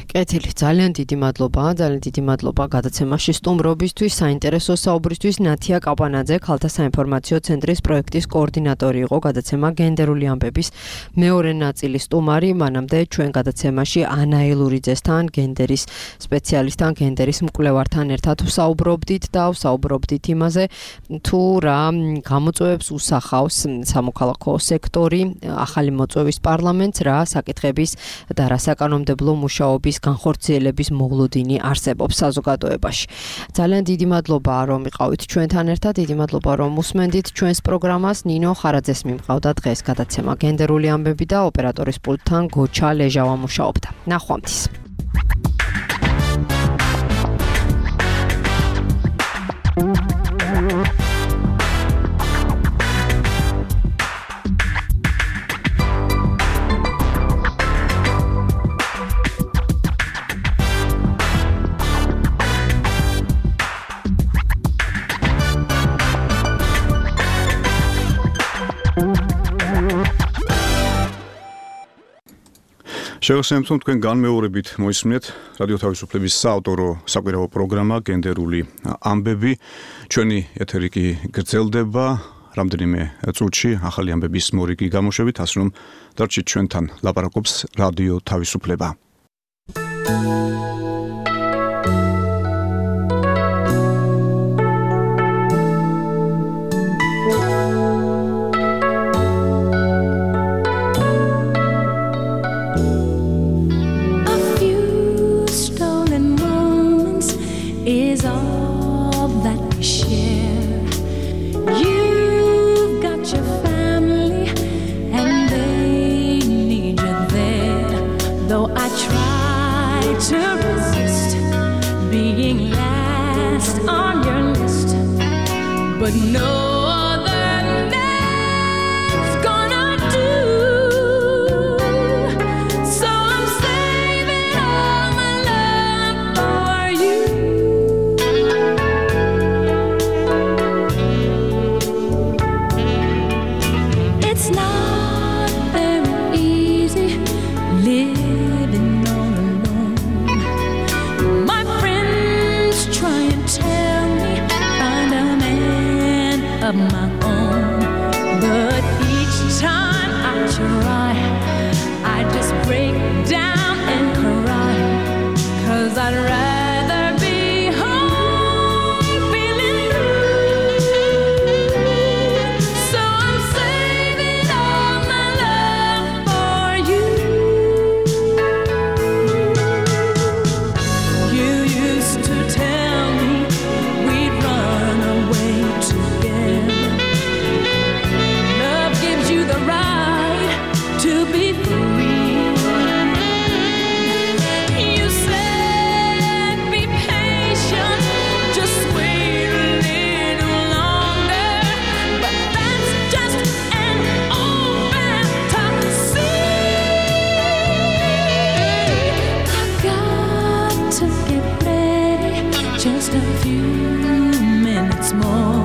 კეთილი ძალიან დიდი მადლობა გადაცემაში სტუმრობისთვის საინტერესო საუბრისთვის ნათია კაპანაძე ქალთა საინფორმაციო ცენტრის პროექტის კოორდინატორი იყო გადაცემა გენდერული ამბების მეორე ნაწილის სტუმარი მანამდე ჩვენ გადაცემაში ანა ელურიძესთან გენდერის სპეციალისტთან გენდერის მკვლევართან ერთად ვსაუბრობდით და ვსაუბრობდით იმაზე თუ რა გამოწვევებს უსახავს სამოქალაქო სექტორი ახალი მოწვევის პარლამენტს რა საკითხების და რა საკანონმდებლო მუშაობის განხორციელების მოვლოდინი არსებობს საზოგადოებაში. ძალიან დიდი მადლობა რომ იყავით ჩვენთან ერთად, დიდი მადლობა რომ უსმენდით ჩვენს პროგრამას. ნინო ხარაძეს მიმყავდა დღეს გადაცემა გენდერული ამბები და ოპერატორის პულტთან გოჩა ლეჟავა მუშაობდა. ნახვამდის. შეგახსენებთ რომ თქვენ განმეორებით მოისმინეთ რადიო თავისუფლების საავტორო საკვირაო პროგრამა გენდერული ამბები ჩვენი ეთერი კი გრძელდება რამდენიმე წუთში ახალი ამბების მორიგი გამოშვებით ასე რომ დარჩით ჩვენთან ლაპარაკობს რადიო თავისუფლება But no other man's gonna do. So I'm saving all my love for you. It's not very easy living all alone. My friends try and tell me find a man of my own, but each time I try, I just break down and cry, 'cause I'd rather be home feeling blue. So just a few minutes more.